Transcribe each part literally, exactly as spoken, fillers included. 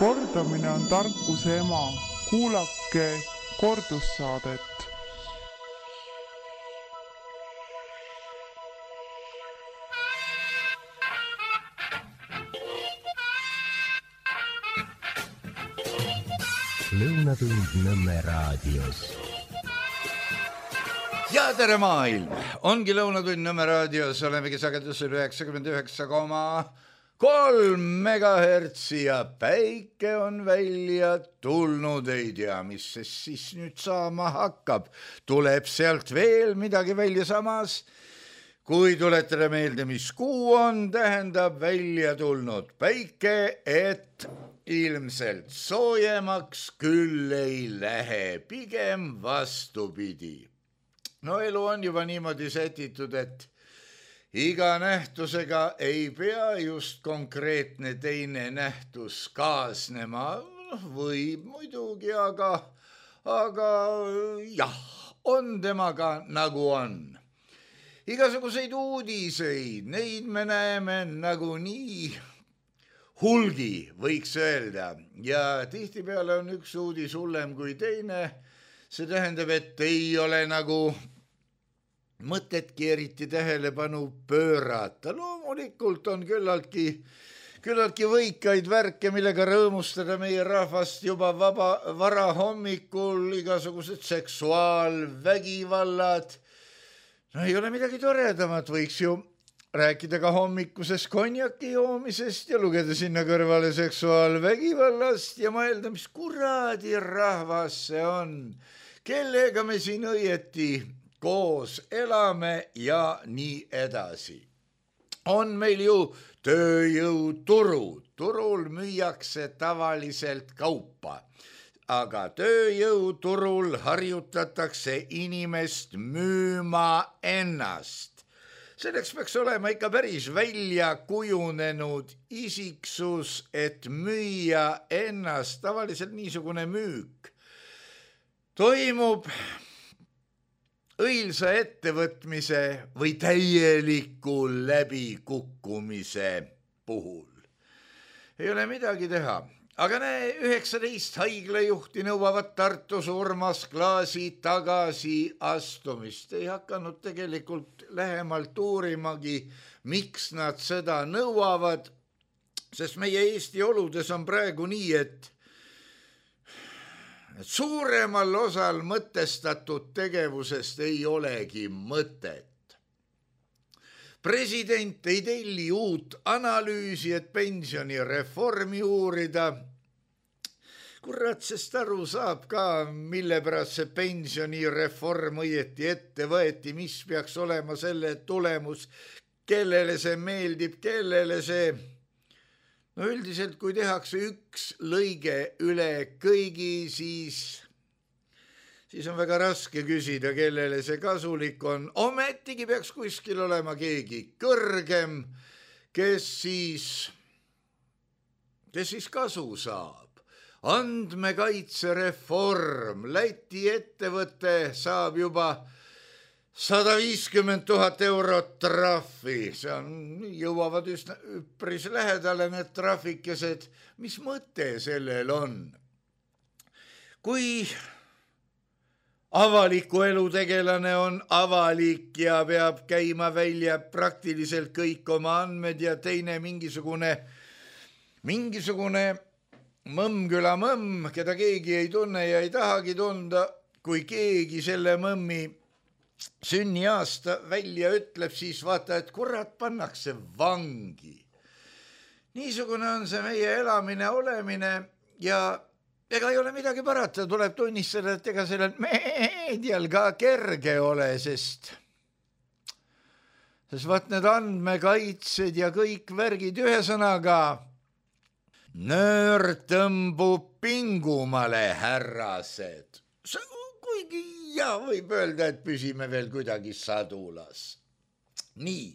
Kordamine on tarkuse ema. Kuulake kordussaadet. Lõunatund Nõmme raadios. Ja tere maailm! Ongi Lõunatund Nõmme raadios, olemegi sagedusel üheksakümmend üheksa koma kolm megahertsi ja päike on välja tulnud, ei tea, mis see siis nüüd saama hakkab. Tuleb sealt veel midagi välja samas. Kui tuletada meelde, mis kuu on, tähendab välja tulnud päike, et ilmselt soojemaks küll ei lähe, pigem vastupidi. No elu on juba niimoodi sätitud, et iga nähtusega ei pea just konkreetne teine nähtus kaasnema, võib muidugi, aga, aga jah, on temaga nagu on. Igasuguseid uudiseid, neid me näeme nagu nii hulgi, võiks öelda, ja tihtipeale on üks uudis hullem kui teine. See tähendab, et ei ole nagu mõtetki eriti tähelepanu pöörata. Loomulikult on küllaltki, küllaltki võikaid värke, millega rõõmustada meie rahvast juba vaba, vara hommikul, igasugused seksuaalvägivallad. No ei ole midagi toredamat, võiks ju rääkida ka hommikusest konjaki joomisest ja lugeda sinna kõrvale seksuaalvägivallast ja mõelda, mis kuradi rahvas see on, kellega me siin õieti koos elame ja nii edasi. On meil ju tööjõuturud, turul müüakse tavaliselt kaupa, aga tööjõuturul harjutatakse inimest müüma ennast. Selleks peaks olema ikka päris välja kujunenud isiksus, et müüa ennast. Tavaliselt niisugune müük toimub õilsa ettevõtmise või täieliku läbikukkumise puhul. Ei ole midagi teha. Aga näe, üheksateist haiglajuhti nõuavad Tartus Urmas Klaasi tagasi astumist. Ei hakanud tegelikult lähemalt uurimagi, miks nad seda nõuavad, sest meie Eesti oludes on praegu nii, et suuremal osal mõtestatud tegevusest ei olegi mõtet. President ei telli uut analüüsi, et pensionireformi uurida. Kurat, sest aru saab ka, mille pärast see pensionireform õieti ette võeti, mis peaks olema selle tulemus, kellele see meeldib, kellele see. No üldiselt, kui tehakse üks lõige üle kõigi, siis... siis on väga raske küsida, kellele see kasulik on. Ometigi peaks kuskil olema keegi kõrgem, kes siis, kes siis kasu saab. Andmekaitsereform, Läti ettevõte saab juba sada viiskümmend tuhat eurot trahvi. See on, jõuavad üsna üpris lähedale need trahvikesed. Mis mõte sellel on? Kui avaliku elu tegelane on avalik ja peab käima välja praktiliselt kõik oma andmed ja teine mingisugune, mingisugune mõmmküla mõmm, keda keegi ei tunne ja ei tahagi tunda, kui keegi selle mõmmi sünniaasta välja ütleb, siis vaata, et kurat pannakse vangi. Niisugune on see meie elamine, olemine ja ega ei ole midagi parata, tuleb tunnistada, et ega sellel meedial ka kerge ole, sest, sest vaat need andmekaitsed ja kõik värgid ühesõnaga, nöör tõmbub pingumale, härrased. Kuigi ja võib öelda, et püsime veel kuidagi sadulas. Nii,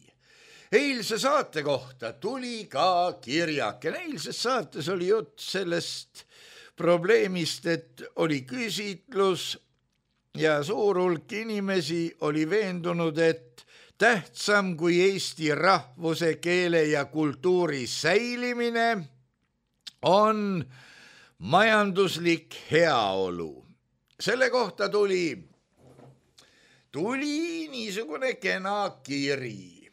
eilse saate kohta tuli ka kirjake. Eilses saates oli jutt sellest probleemist, et oli küsitlus ja suur hulk inimesi oli veendunud, et tähtsam kui eesti rahvuse, keele ja kultuuri säilimine on majanduslik heaolu. Selle kohta tuli, tuli niisugune kena kiri.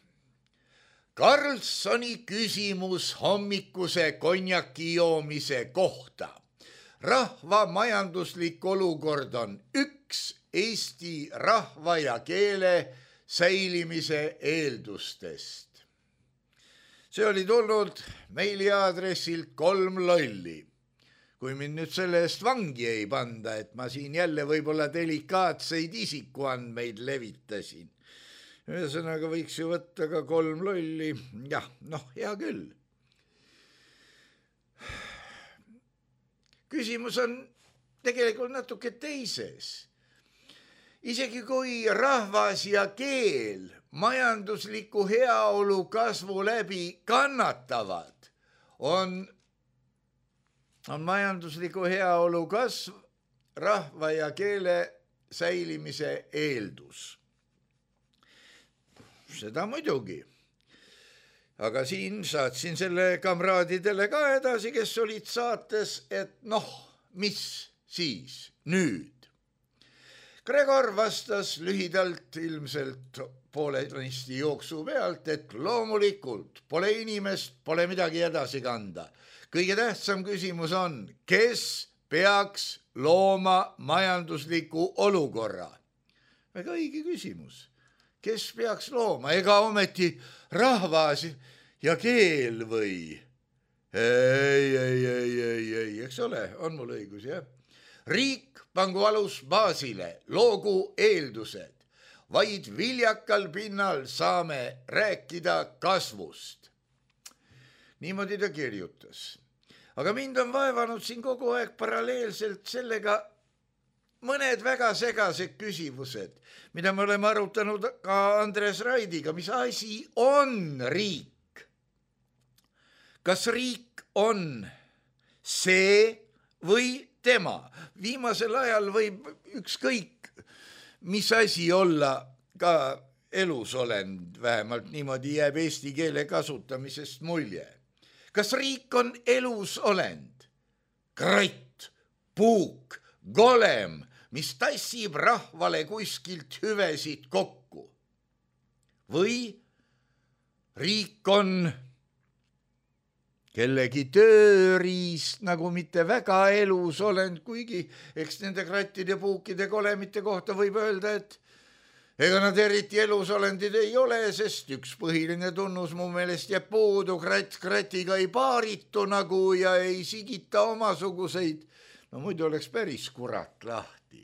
Karlssoni küsimus hommikuse konjaki joomise kohta. Rahva majanduslik olukord on üks Eesti rahva ja keele säilimise eeldustest. See oli tulnud meili aadressilt kolm lolli. Kui mind nüüd selle eest vangi ei panda, et ma siin jälle võib-olla delikaatseid isikuandmeid levitasin. Ühesõnaga võiks ju võtta ka kolm lolli. Jah, noh, hea küll. Küsimus on tegelikult natuke teises. Isegi kui rahvas ja keel majandusliku heaolu kasvu läbi kannatavad, on on majandusliku heaolu kasv rahva ja keele säilimise eeldus. Seda muidugi. Aga siin saatsin selle kamraadidele ka edasi, kes olid saates, et noh, mis siis nüüd? Gregor vastas lühidalt ilmselt poolenisti jooksu pealt, et loomulikult pole inimest, pole midagi edasi kanda. Kõige tähtsam küsimus on, kes peaks looma majandusliku olukorra? Väga õige küsimus. Kes peaks looma? Ega ometi rahvas ja keel või? Ei, ei, ei, ei, ei, eks ole, on mul õigus, jah? Riik pangu alus baasile, loogu eeldused. Vaid viljakal pinnal saame rääkida kasvust. Niimoodi ta kirjutas. Aga mind on vaevanud siin kogu aeg paralleelselt sellega mõned väga segased küsimused, mida me oleme arutanud ka Andres Raidiga. Mis asi on riik? Kas riik on see või tema? Viimasel ajal võib ükskõik, mis asi olla ka elusolend, vähemalt niimoodi jääb eesti keele kasutamisest mulje. Kas riik on elusolend? Kratt, puuk, golem, mis tassib rahvale kuskilt hüvesid kokku? Või riik on kellegi tööriist, nagu mitte väga elusolend, kuigi eks nende krattide, puukide, golemite kohta võib öelda, et ega nad eriti elusolendid ei ole, sest üks põhiline tunnus mu meelest jääb puudu, kratt kratiga ei paaritu nagu ja ei sigita omasuguseid. No muidu oleks päris kurat lahti.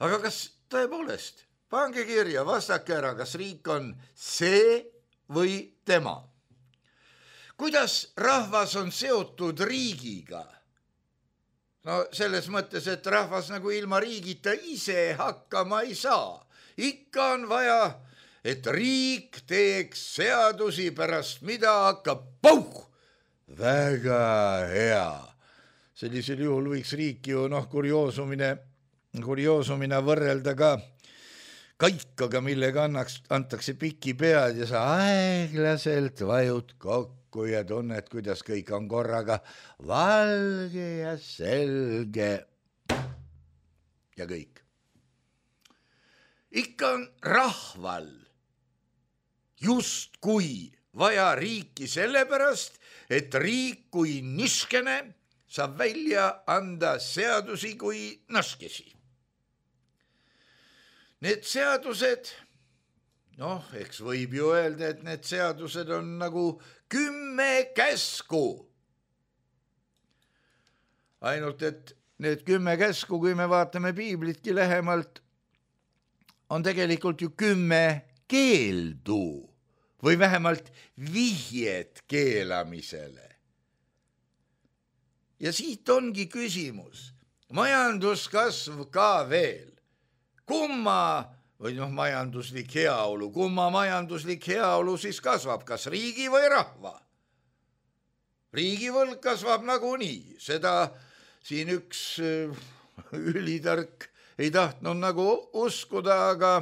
Aga kas tõepoolest, pange kirja, vastake ära, kas riik on see või tema? Kuidas rahvas on seotud riigiga? No selles mõttes, et rahvas nagu ilma riigita ise hakkama ei saa. Ikka on vaja, et riik teeks seadusi, pärast mida hakkab pauh! Väga hea. Sellisel juhul võiks riik ju noh, kurioosumine, kurioosumina võrrelda ka kaikaga, millega annaks, antakse piki pead ja sa aeglaselt vajud kokku ja tunned, kuidas kõik on korraga valge ja selge ja kõik. Ikka on rahval just kui vaja riiki sellepärast, et riik kui niskene saab välja anda seadusi kui naskesi. Need seadused, noh, eks võib ju öelda, et need seadused on nagu kümme käsku. Ainult, et need kümme käsku, kui me vaatame piiblitki lähemalt, on tegelikult ju kümme keeldu või vähemalt vihjed keelamisele. Ja siit ongi küsimus. Majanduskasv ka veel. Kumma, või noh, majanduslik heaolu, kumma majanduslik heaolu siis kasvab, kas riigi või rahva? Riigivõlg kasvab nagunii, seda siin üks ülitark ei tahtnud nagu uskuda, aga,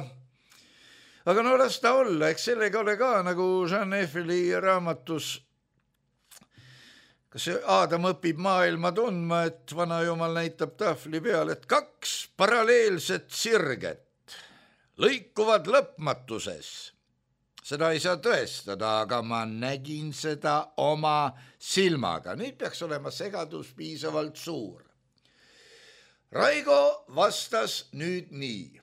aga no las ta olla, eks sellega ole ka nagu Jean Eiffeli raamatus, kas Aadam õpib maailma tundma, et vana jumal näitab tahvli peal, et kaks paralleelset sirget lõikuvad lõpmatuses. Seda ei saa tõestada, aga ma nägin seda oma silmaga. Nüüd peaks olema segadus piisavalt suur. Raigo vastas nüüd nii.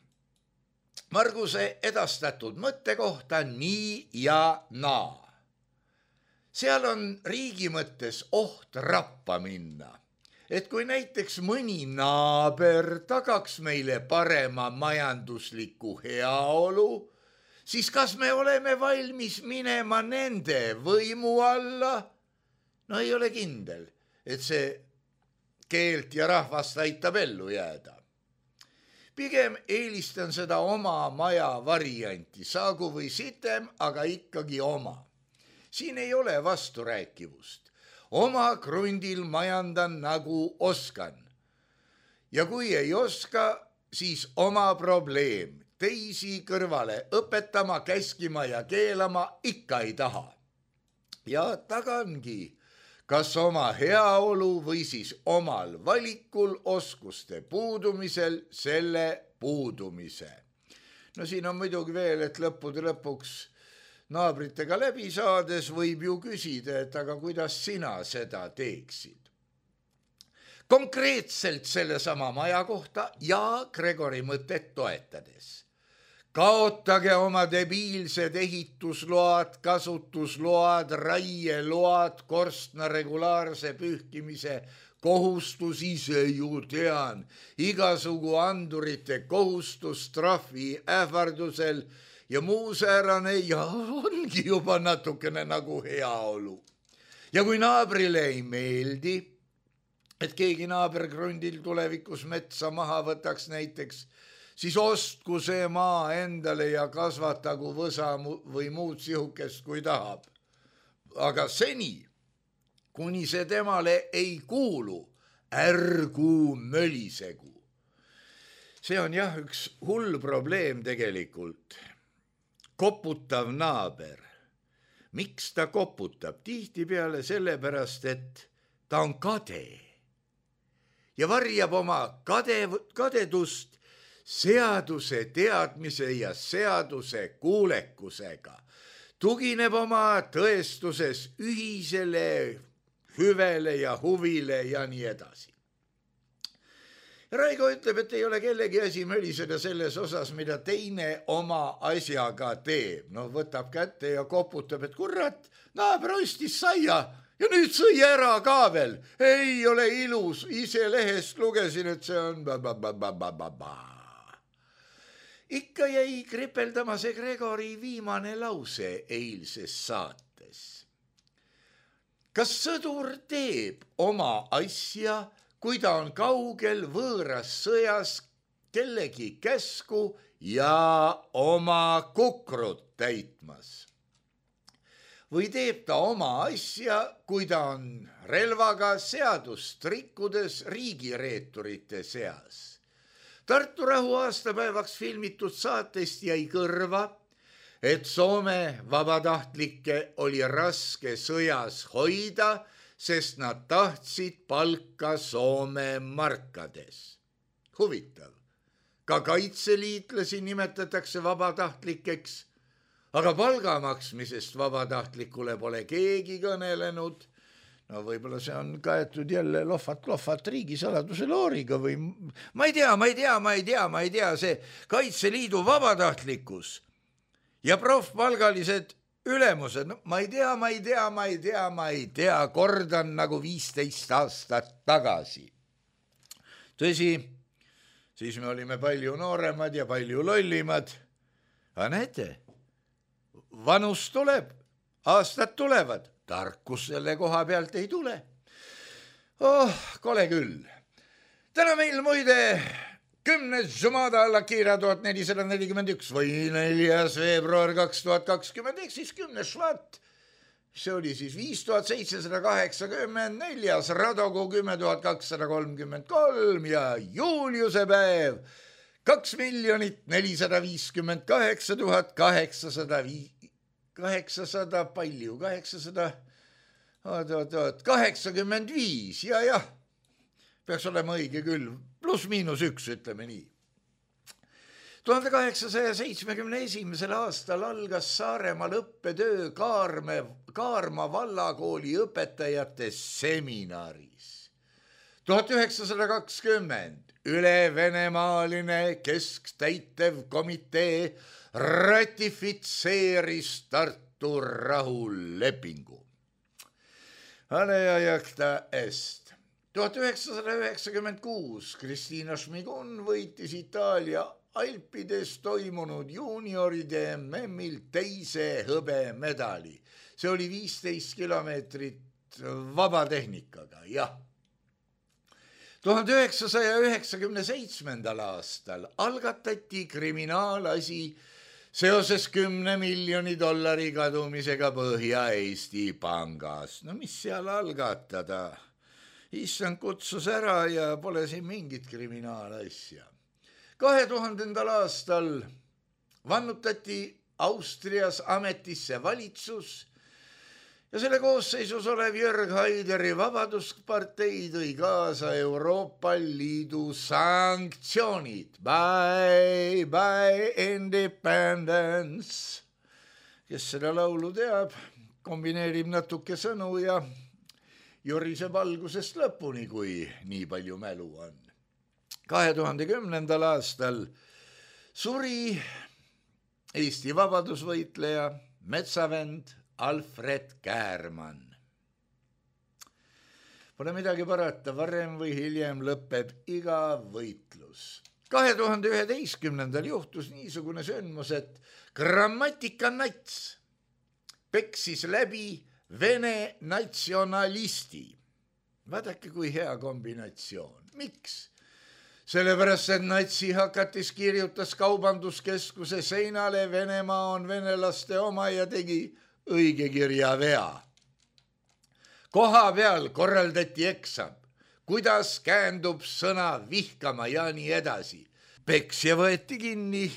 Marguse edastatud mõtte kohta nii ja naa. Seal on riigi mõttes oht rappa minna, et kui näiteks mõni naaber tagaks meile parema majandusliku heaolu, siis kas me oleme valmis minema nende võimu alla? No ei ole kindel, et see keelt ja rahvast aitab ellu jääda. Pigem eelistan seda oma maja varianti, saagu või sitem, aga ikkagi oma. Siin ei ole vasturääkivust. Oma krundil majandan nagu oskan. Ja kui ei oska, siis oma probleem. Teisi kõrvale õpetama, käskima ja keelama ikka ei taha. Ja tagangi, kas oma heaolu või siis omal valikul oskuste puudumisel selle puudumise. No siin on muidugi veel, et lõppude lõpuks naabritega läbi saades võib ju küsida, et aga kuidas sina seda teeksid. Konkreetselt selle sama maja kohta ja Gregori mõtet toetades. Kaotage oma debiilsed ehitusload, kasutusload, raieload, korstna regulaarse pühkimise kohustus, ise ju tean, igasugu andurite kohustus trahvi ähvardusel ja muu säärane ja ongi juba natukene nagu heaolu. Ja kui naabrile ei meeldi, et keegi naabergrundil tulevikus metsa maha võtaks näiteks, siis ostku see maa endale ja kasvatagu võsa või muud sihukest, kui tahab. Aga seni, kuni see temale ei kuulu, ärgu mölisegu. See on jah üks hull probleem tegelikult. Koputav naaber. Miks ta koputab? Tihtipeale sellepärast, et ta on kade ja varjab oma kade, kadedust seaduse teadmise ja seaduse kuulekusega. Tugineb oma tõestuses ühisele hüvele ja huvile ja nii edasi. Raigo ütleb, et ei ole kellegi asi möliseda selles osas, mida teine oma asjaga teeb. No võtab kätte ja koputab, et kurat, naaber ostis saia ja nüüd sõi ära ka veel. Ei ole ilus, ise lehest lugesin, et see on ba-ba-ba-ba-ba-ba. Ikka jäi kripeldama see Gregori viimane lause eilses saates. Kas sõdur teeb oma asja, kui ta on kaugel võõras sõjas kellegi käsku ja oma kukrut täitmas? Või teeb ta oma asja, kui ta on relvaga seadust rikkudes riigireeturite seas? Tartu rahu aastapäevaks filmitud saatest jäi kõrva, et Soome vabatahtlikke oli raske sõjas hoida, sest nad tahtsid palka Soome markades. Huvitav. Ka kaitseliitlasi nimetatakse vabatahtlikeks, aga palga maksmisest vabatahtlikule pole keegi kõnelenud. No võib-olla see on kaetud jälle lohvat-lohvat riigisaladuse looriga või ma ei tea, ma ei tea, ma ei tea, ma ei tea, see Kaitseliidu vabatahtlikkus ja profpalgalised ülemused, no ma ei tea, ma ei tea, ma ei tea, ma ei tea, kordan nagu viisteist aastat tagasi. Tõsi, siis me olime palju nooremad ja palju lollimad. Aga näete, vanus tuleb, aastad tulevad, tarkus selle koha pealt ei tule. Oh, kole küll. Täna meil muide kümnes Jumada Lakira tuhat nelisada nelikümmend üks või neljas veebruar kaks tuhat kakskümmend, ehk siis kümnes švat. See oli siis viis tuhat seitsesada kaheksakümmend, neljas Radogu kümme tuhat kakssada kolmkümmend kolm ja Juliuse päev kaks miljonit nelisada viiskümmend kaheksa tuhat kaheksasada, kaheksasada palju, kaheksasada, oot, oot, oot, kaheksakümmend viis, ja, jah, peaks olema õige küll, pluss miinus üks, ütleme nii. tuhande kaheksasaja seitsmekümne esimesel aastal algas Saaremaal õppetöö Kaarme, Kaarma vallakooli õpetajate seminaris. tuhat üheksasada kakskümmend üle-venemaaline keskstäitev komitee ratifitseeris Tartu rahulepingu. Aleajakta est. tuhat üheksasada üheksakümmend kuus Kristiina Šmigun võitis Itaalia Alpides toimunud juunioride M M-il teise hõbemedali. See oli viisteist kilomeetrit vabatehnikaga, jah. tuhande üheksasaja üheksakümne seitsmendal aastal algatati kriminaalasi seoses kümne miljoni dollari kadumisega Põhja-Eesti pangas. No mis seal algatada? Issand kutsus ära ja pole siin mingit kriminaalasja. kahe tuhandendal aastal vannutati Austrias ametisse valitsus ja selle koosseisus olev Jörg Haideri Vabaduspartei tõi kaasa Euroopa Liidu sanktsioonid. Bye, bye, independence. Kes seda laulu teab, kombineerib natuke sõnu ja joriseb algusest lõpuni, kui nii palju mälu on. kahe tuhande kümnendal aastal suri Eesti vabadusvõitleja metsavend Alfred Käärmann. Pole midagi parata, varem või hiljem lõpeb iga võitlus. kahe tuhande üheteistkümnendal juhtus niisugune sündmus, et grammatikanats peksis läbi Vene natsionalisti. Vaadake, kui hea kombinatsioon. Miks? Sellepärast, et natsi hakatis kirjutas kaubanduskeskuse seinale Venemaa on venelaste oma ja tegi õige kirja vea. Koha peal korraldati eksam, kuidas käändub sõna vihkama ja nii edasi. Peksja võeti kinni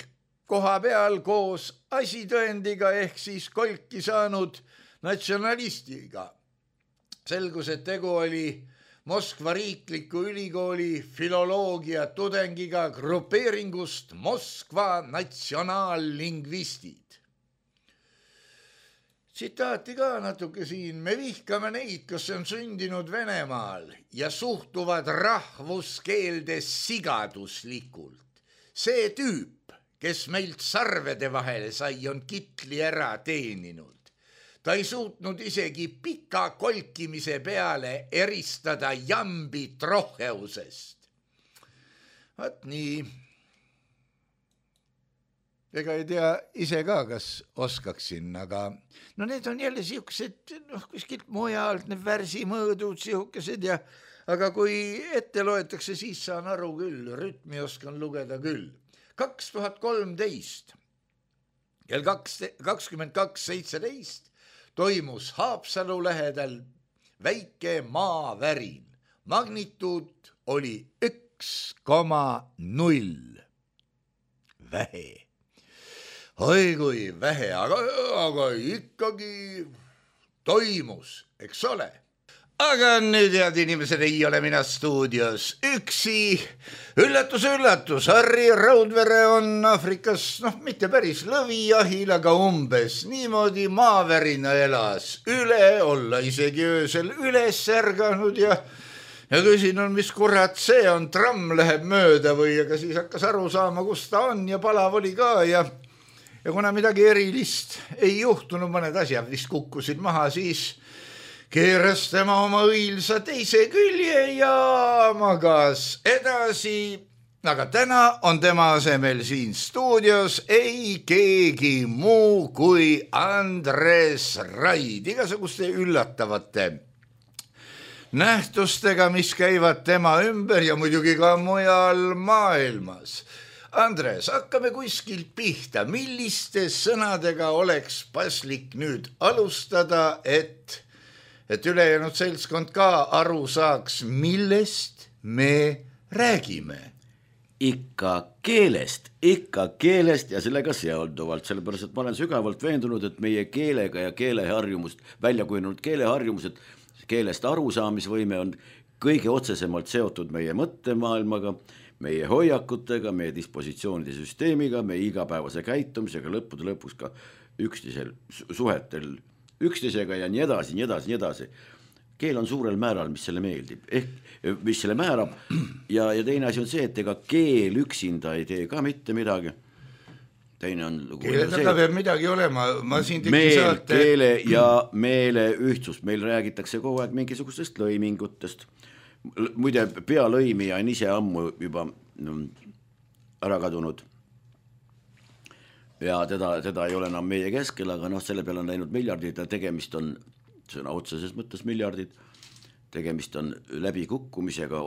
koha peal koos asitõendiga ehk siis kolki saanud natsionalistiga. Selgus, et tegu oli Moskva riikliku ülikooli filoloogia tudengiga grupeeringust Moskva natsionaallingvistid. Tsitaati ka natuke siin. Me vihkame neid, kes on sündinud Venemaal ja suhtuvad rahvuskeelde sigaduslikult. See tüüp, kes meilt sarvede vahele sai, on kitli ära teeninud. Ta ei suutnud isegi pika kolkimise peale eristada jambi troheusest. Vaat nii. Ega ei tea ise ka, kas oskaksin, aga no need on jälle siuksed, noh, kuskilt mujalt, need värsimõõdud siukesed ja, aga kui ette loetakse, siis saan aru küll, rütmi oskan lugeda küll. kaks tuhat kolmteist kell kakskümmend kaks seitseteist toimus Haapsalu lähedal väike maavärin. Magnituud oli üks koma null. Vähe. Oi kui vähe, aga, aga ikkagi toimus, eks ole. Aga nüüd, head inimesed, ei ole mina stuudios üksi. Üllatus, üllatus, Harri Raudvere on Afrikas, noh, mitte päris lõvijahil, aga umbes niimoodi maavärina elas. Üle olla isegi öösel üles ärganud ja, ja küsin on, mis kurat see on, tramm läheb mööda või, aga siis hakkas aru saama, kus ta on ja palav oli ka ja, ja kuna midagi erilist ei juhtunud, mõned asjad vist kukkusid maha, siis keeras tema oma õilsa teise külje ja magas edasi, aga täna on tema asemel siin stuudios ei keegi muu kui Andres Raid, igasuguste üllatavate nähtustega, mis käivad tema ümber ja muidugi ka mujal maailmas. Andres, hakkame kuskilt pihta, milliste sõnadega oleks paslik nüüd alustada, et et ülejäänud seltskond ka aru saaks, millest me räägime. ikka keelest, ikka keelest ja sellega seonduvalt, sellepärast, et ma olen sügavalt veendunud, et meie keelega ja keeleharjumust, välja kujunenud keeleharjumused, keelest arusaamisvõime on kõige otsesemalt seotud meie mõttemaailmaga, meie hoiakutega, meie dispositsioonide süsteemiga, meie igapäevase käitumisega, lõppude lõpuks ka üksteisel suhetel üksteisega ja nii edasi, nii edasi, nii edasi. Keel on suurel määral, mis selle meeldib, ehk mis selle määrab ja, ja teine asi on see, et ega keel üksinda ei tee ka mitte midagi. Teine on keele taga peab midagi olema, ma siin tegi meel, saate keele ja meele ühtsust, meil räägitakse kogu aeg mingisugustest lõimingutest. Muide, pealõimija on ise ammu juba ära kadunud ja teda, teda ei ole enam meie keskel, aga noh, selle peale on läinud miljardid ja tegemist on, sõna otseses mõttes miljardid, tegemist on läbikukkumisega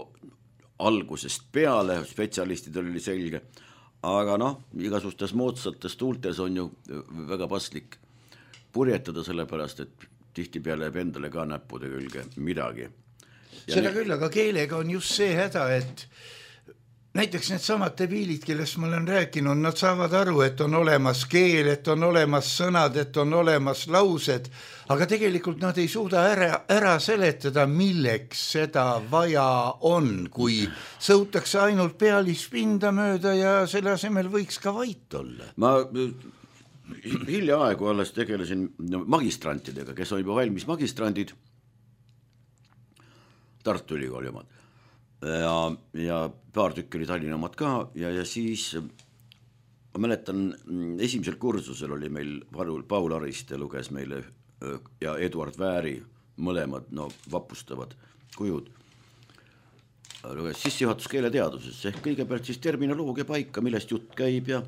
algusest peale, spetsialistidel oli selge, aga noh, igasugustes moodsates tuultes on ju väga paslik purjetada sellepärast, et tihti peale jääb endale ka näppude külge midagi. Ja seda ne... küll, aga keelega on just see häda, et näiteks need samad debiilid, kellest ma olen rääkinud, nad saavad aru, et on olemas keel, et on olemas sõnad, et on olemas laused, aga tegelikult nad ei suuda ära, ära seletada, milleks seda vaja on, kui sõutakse ainult pealispinda mööda ja selle asemel võiks ka vait olla. Ma hiljaaegu alles tegelesin magistrantidega, kes on juba valmis magistrandid, Tartu Ülikooli omad. Ja, ja paar tükki oli Tallinna omad ka ja, ja siis ma mäletan, esimesel kursusel oli meil Paul, Paul Ariste luges meile ja Eduard Vääri mõlemad no, vapustavad kujud. Luges sissejuhatus keeleteaduses ehk kõigepealt siis terminoloogia paika, millest jutt käib ja,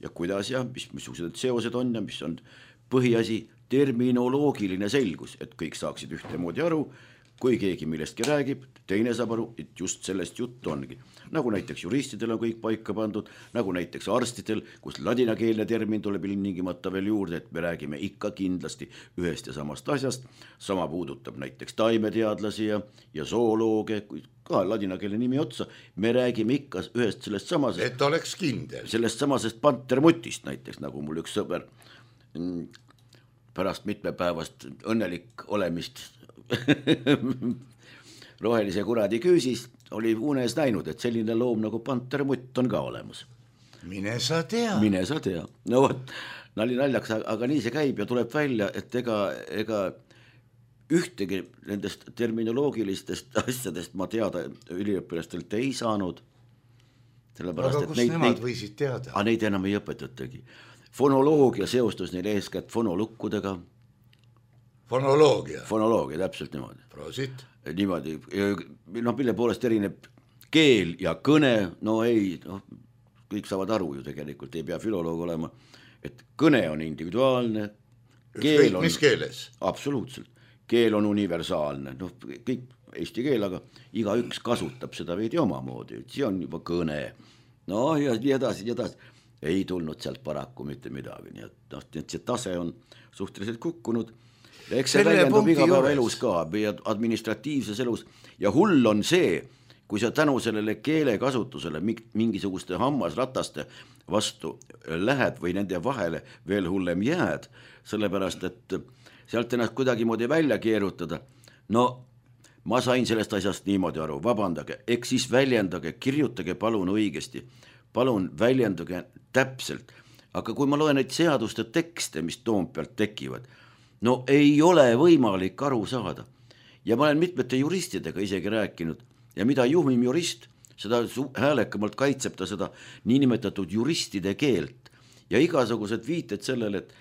ja kuidas ja mis, missugused seosed on ja mis on põhiasi terminoloogiline selgus, et kõik saaksid ühtemoodi aru. Kui keegi millestki räägib, teine saab aru, et just sellest jutt ongi. Nagu näiteks juristidel on kõik paika pandud, nagu näiteks arstidel, kus ladinakeelne termin tuleb ilmtingimata veel juurde, et me räägime ikka kindlasti ühest ja samast asjast. Sama puudutab näiteks taimeteadlasi ja, ja zoolooge, ka ladinakeelne nimi otsa. Me räägime ikka ühest sellest samasest. Et oleks kindel. Sellest samasest pantermutist näiteks, nagu mul üks sõber pärast mitmepäevast õnnelik olemist rohelise kuradi küüsis oli unes näinud, et selline loom nagu pantermutt on ka olemas. Mine sa tea. Mine sa tea. No võt, nali naljaks, aga nii see käib ja tuleb välja, et ega, ega ühtegi nendest terminoloogilistest asjadest ma teada üliõpilastelt ei saanud. Aga kus neid, nemad neid, võisid teada? Aga neid enam ei õpetatagi. Fonoloogia seostus neile eeskätt fonolukkudega. Fonoloogia. Fonoloogia, täpselt niimoodi. Prosit. Niimoodi, no mille poolest erineb keel ja kõne, no ei, no, kõik saavad aru ju tegelikult, ei pea filoloog olema, et kõne on individuaalne. Keel on, mis keeles? Absoluutselt. Keel on universaalne, noh, kõik eesti keel, aga iga üks kasutab seda veidi omamoodi, see on juba kõne. No ja nii edasi, nii edasi. Ei tulnud sealt paraku mitte midagi, nii et, noh, see tase on suhteliselt kukkunud. Eks see väljendub igapäeva elus ka, administratiivses elus ja hull on see, kui sa tänu sellele keele kasutusele mingisuguste hammasrataste vastu lähed või nende vahele veel hullem jääd, sellepärast et sealt ennast kuidagi moodi välja keerutada. No ma sain sellest asjast niimoodi aru, vabandage, eks siis väljendage, kirjutage palun õigesti, palun väljendage täpselt, aga kui ma loen neid seaduste tekste, mis Toompealt tekivad, no ei ole võimalik aru saada. Ja ma olen mitmete juristidega isegi rääkinud ja mida juhmim jurist, seda häälekamalt kaitseb ta seda niinimetatud juristide keelt ja igasugused viited sellele, et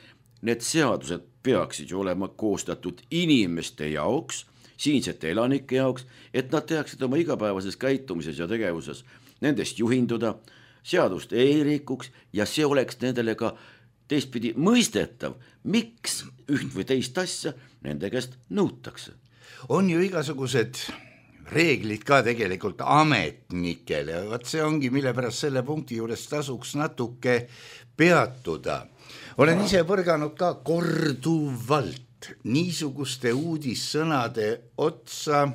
need seadused peaksid ju olema koostatud inimeste jaoks, siinsete elanike jaoks, et nad teaksid oma igapäevases käitumises ja tegevuses nendest juhinduda, seadust ei rikuks ja see oleks nendele ka teistpidi mõistetav, miks üht või teist asja nende käest nõutakse. On ju igasugused reeglid ka tegelikult ametnikele, vaat see ongi, mille pärast selle punkti juures tasuks natuke peatuda. Olen ise põrganud ka korduvalt niisuguste uudissõnade otsa,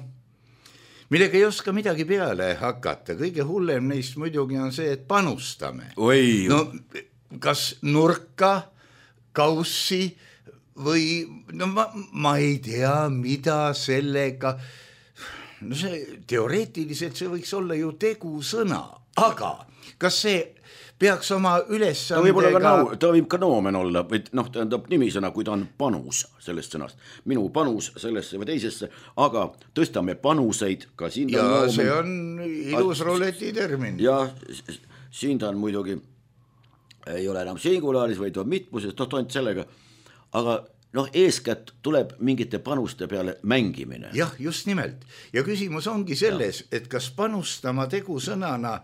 millega ei oska midagi peale hakata. Kõige hullem neist muidugi on see, et panustame. Oi. No kas nurka, kaussi või no ma, ma ei tea, mida sellega, no see teoreetiliselt see võiks olla ju tegusõna, aga kas see peaks oma ülesandega... Ta võib, olla ka nau, ta võib ka noomen olla, või noh, tähendab nimisõna, kui ta on panus sellest sõnast. Minu panus sellesse või teisesse, aga tõstame panuseid ka siin. Ja noomen. See on ilus ruleti termin. Ja siin ta on muidugi, ei ole enam singulaaris, vaid on mitmuses, noh, toont sellega, aga noh, eeskätt tuleb mingite panuste peale mängimine. Jah, just nimelt. Ja küsimus ongi selles, ja. et kas panustama tegusõnana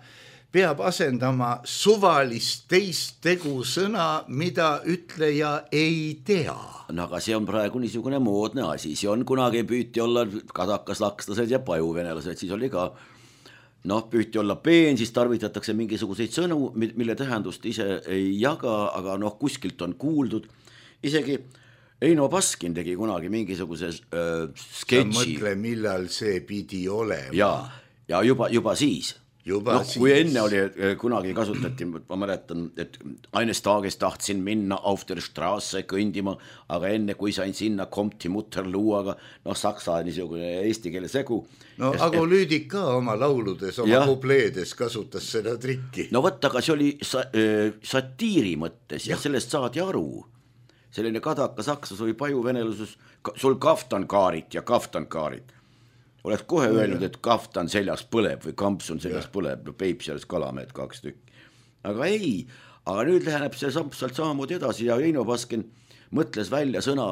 peab asendama suvalist teist tegusõna, mida ütleja ei tea. No aga see on praegu niisugune moodne asi, see on kunagi püüti olla kadakaslakslased ja pajuvenelased, siis oli ka noh, püüti olla peen, siis tarvitatakse mingisuguseid sõnu, mille tähendust ise ei jaga, aga noh, kuskilt on kuuldud. Isegi Eino Baskin tegi kunagi mingisuguse äh, sketši. Sa mõtle, millal see pidi olema. Ja, ja juba, juba siis. Juba no, siis. Kui enne oli, kunagi kasutati, ma mäletan, et eines tages tahtsin minna auf der Straße kõndima, aga enne kui sain sinna komti mutterluuaga, noh, saksa niisugune eesti keele segu. No ja, aga Lüüdik ka oma lauludes, oma ja. Kupleedes kasutas seda trikki. No võtta, aga see oli sa, äh, satiiri mõttes ja, ja sellest saadi aru. Selline kadaka saksas oli pajuvenelusus, sul kaftankaarit ja kaftankaarit. Oled kohe no, öelnud, et kaftan seljas põleb või kampsun seljas ja. põleb, no Peipsi alles kalamehed kaks tükki. Aga ei, aga nüüd läheneb see sealt samamoodi edasi ja Eino Baskin mõtles välja sõna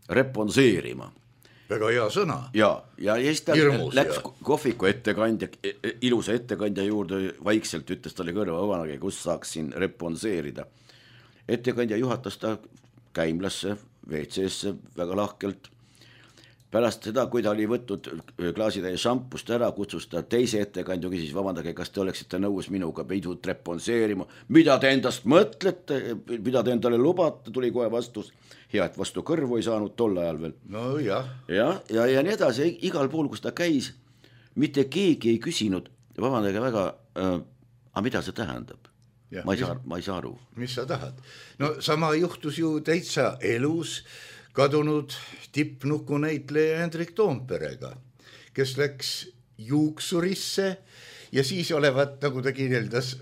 reponseerima. Väga hea sõna. Ja, ja siis ta Hirmus, läks ja. kohviku ettekandja, ilusa ettekandja juurde vaikselt ütles talle kõrva vabanagi, kus saaks siin reponseerida. Ettekandja juhatas ta käimlasse, V C-sse väga lahkelt. Pärast seda, kui ta oli võtnud klaasitäie šampust ära, kutsus ta teise ettekandju, küsis, vabandage, kas te oleksite nõus minuga pidut reponseerima, mida te endast mõtlete, mida te endale lubate, tuli kohe vastus, hea, et vastu kõrvu ei saanud tol ajal veel. No jah. Ja, ja, ja nii edasi, igal pool, kus ta käis, mitte keegi ei küsinud, vabandage väga, äh, aga mida see tähendab? Ja, ma, ei saa, ma ei saa aru. Mis sa tahad? No sama juhtus ju täitsa elus, kadunud tippnukunäitleja Hendrik Toomperega, kes läks juuksurisse ja siis olevat, nagu ta kirjeldas,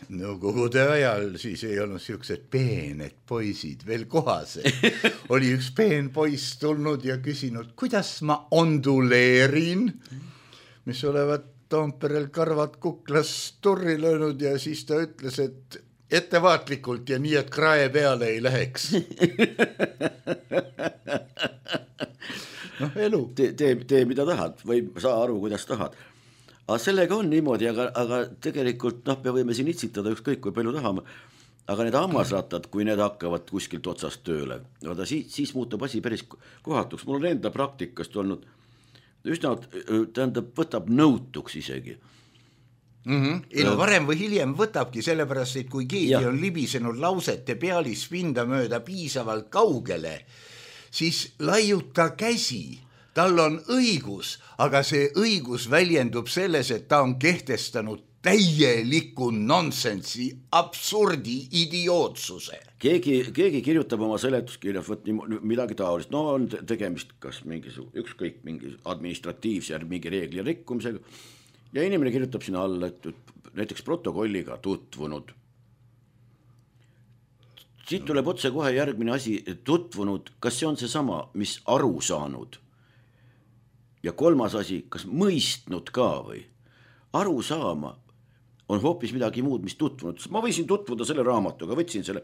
nõukogude ajal siis ei olnud siuksed peened poisid veel kohased. Oli üks peen poiss tulnud ja küsinud, kuidas ma onduleerin, mis olevat Toomperel karvad kuklas turri löönud ja siis ta ütles, et ettevaatlikult ja nii, et krae peale ei läheks. noh, elu. Tee, tee, tee mida tahad või saa aru, kuidas tahad. Aga sellega on niimoodi, aga, aga tegelikult noh, me võime siin itsitada ükskõik kui palju tahame, aga need hammasrattad, kui need hakkavad kuskilt otsast tööle, vaata, siis, siis muutub asi päris kohatuks. Mul on enda praktikast olnud üsna, tähendab, võtab nõutuks isegi. Mm-hmm. Ei, no varem või hiljem võtabki, sellepärast, et kui keegi ja. on libisenud lausete pealispinda mööda piisavalt kaugele, siis laiuta käsi, tal on õigus, aga see õigus väljendub selles, et ta on kehtestanud täieliku nonsensi, absurdi idiootsuse. Keegi, keegi kirjutab oma seletuskirjas võt midagi taolist, no on tegemist kas mingi, ükskõik mingi administratiivse ja mingi reegli rikkumisega, ja inimene kirjutab sinna alla, et näiteks protokolliga tutvunud. Siit tuleb otse kohe järgmine asi, tutvunud, kas see on see sama, mis aru saanud? Ja kolmas asi, kas mõistnud ka või? Aru saama on hoopis midagi muud, mis tutvunud. Ma võisin tutvuda selle raamatuga, võtsin selle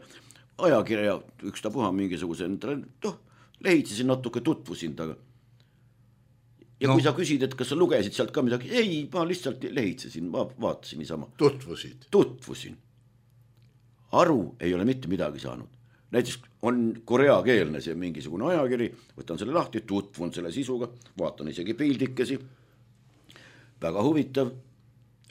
ajakirja, üks ta puha mingisuguse, noh, lehitsesin natuke, tutvusin taga. Ja no. kui sa küsid, et kas sa lugesid sealt ka midagi, ei, ma lihtsalt lehitsesin, ma vaatasin niisama. Tutvusid? Tutvusin. Aru ei ole mitte midagi saanud. Näiteks on koreakeelne see mingisugune ajakiri, võtan selle lahti, tutvun selle sisuga, vaatan isegi pildikesi, väga huvitav,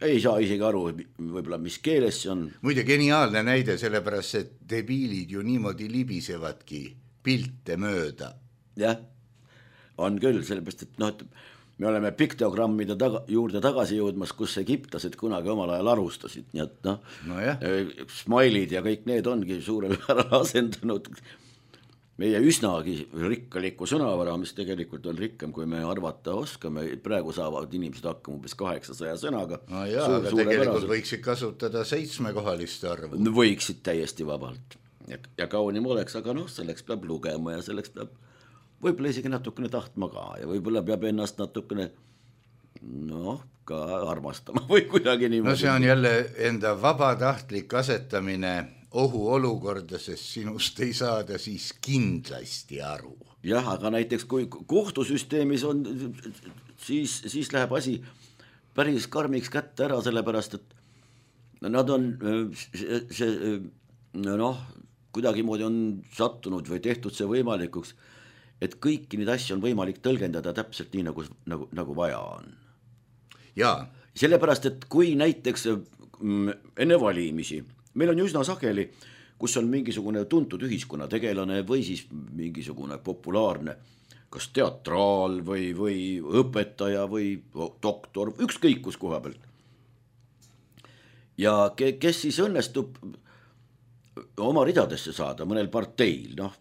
ei saa isegi aru, võib-olla mis keeles see on. Muide geniaalne näide, sellepärast, et debiilid ju niimoodi libisevadki pilte mööda. Jah. On küll, sellepärast, et noh, me oleme piktogrammide taga, juurde tagasi jõudmas, kus egiptlased kunagi omal ajal alustasid, nii et noh no, smailid ja kõik need ongi suurel määral asendanud meie üsnagi rikkaliku sõnavara, mis tegelikult on rikkam, kui me arvata oskame. Praegu saavad inimesed hakkama umbes kaheksasaja sõnaga. No jaa, Suur, aga tegelikult võiksid kasutada seitsmekohalist arvu. Võiksid täiesti vabalt ja, ja kaunim oleks, aga noh, selleks peab lugema ja selleks peab võib-olla isegi natukene tahtma ka ja võib-olla peab ennast natukene noh, ka armastama või kuidagi niimoodi. No see on jälle enda vabatahtlik asetamine ohuolukorda, sest sinust ei saada siis kindlasti aru. Jah, aga näiteks kui kohtusüsteemis on, siis, siis läheb asi päris karmiks kätte ära, sellepärast, et nad on see, see noh, kuidagi moodi on sattunud või tehtud see võimalikuks, et kõiki neid asju on võimalik tõlgendada täpselt nii, nagu, nagu, nagu vaja on. Jaa. Sellepärast, et kui näiteks enne valimisi, meil on ju üsna sageli, kus on mingisugune tuntud ühiskonnategelane või siis mingisugune populaarne, kas teatraal või, või õpetaja või doktor, ükskõik kus koha pealt. Ja kes siis õnnestub oma ridadesse saada mõnel parteil, noh,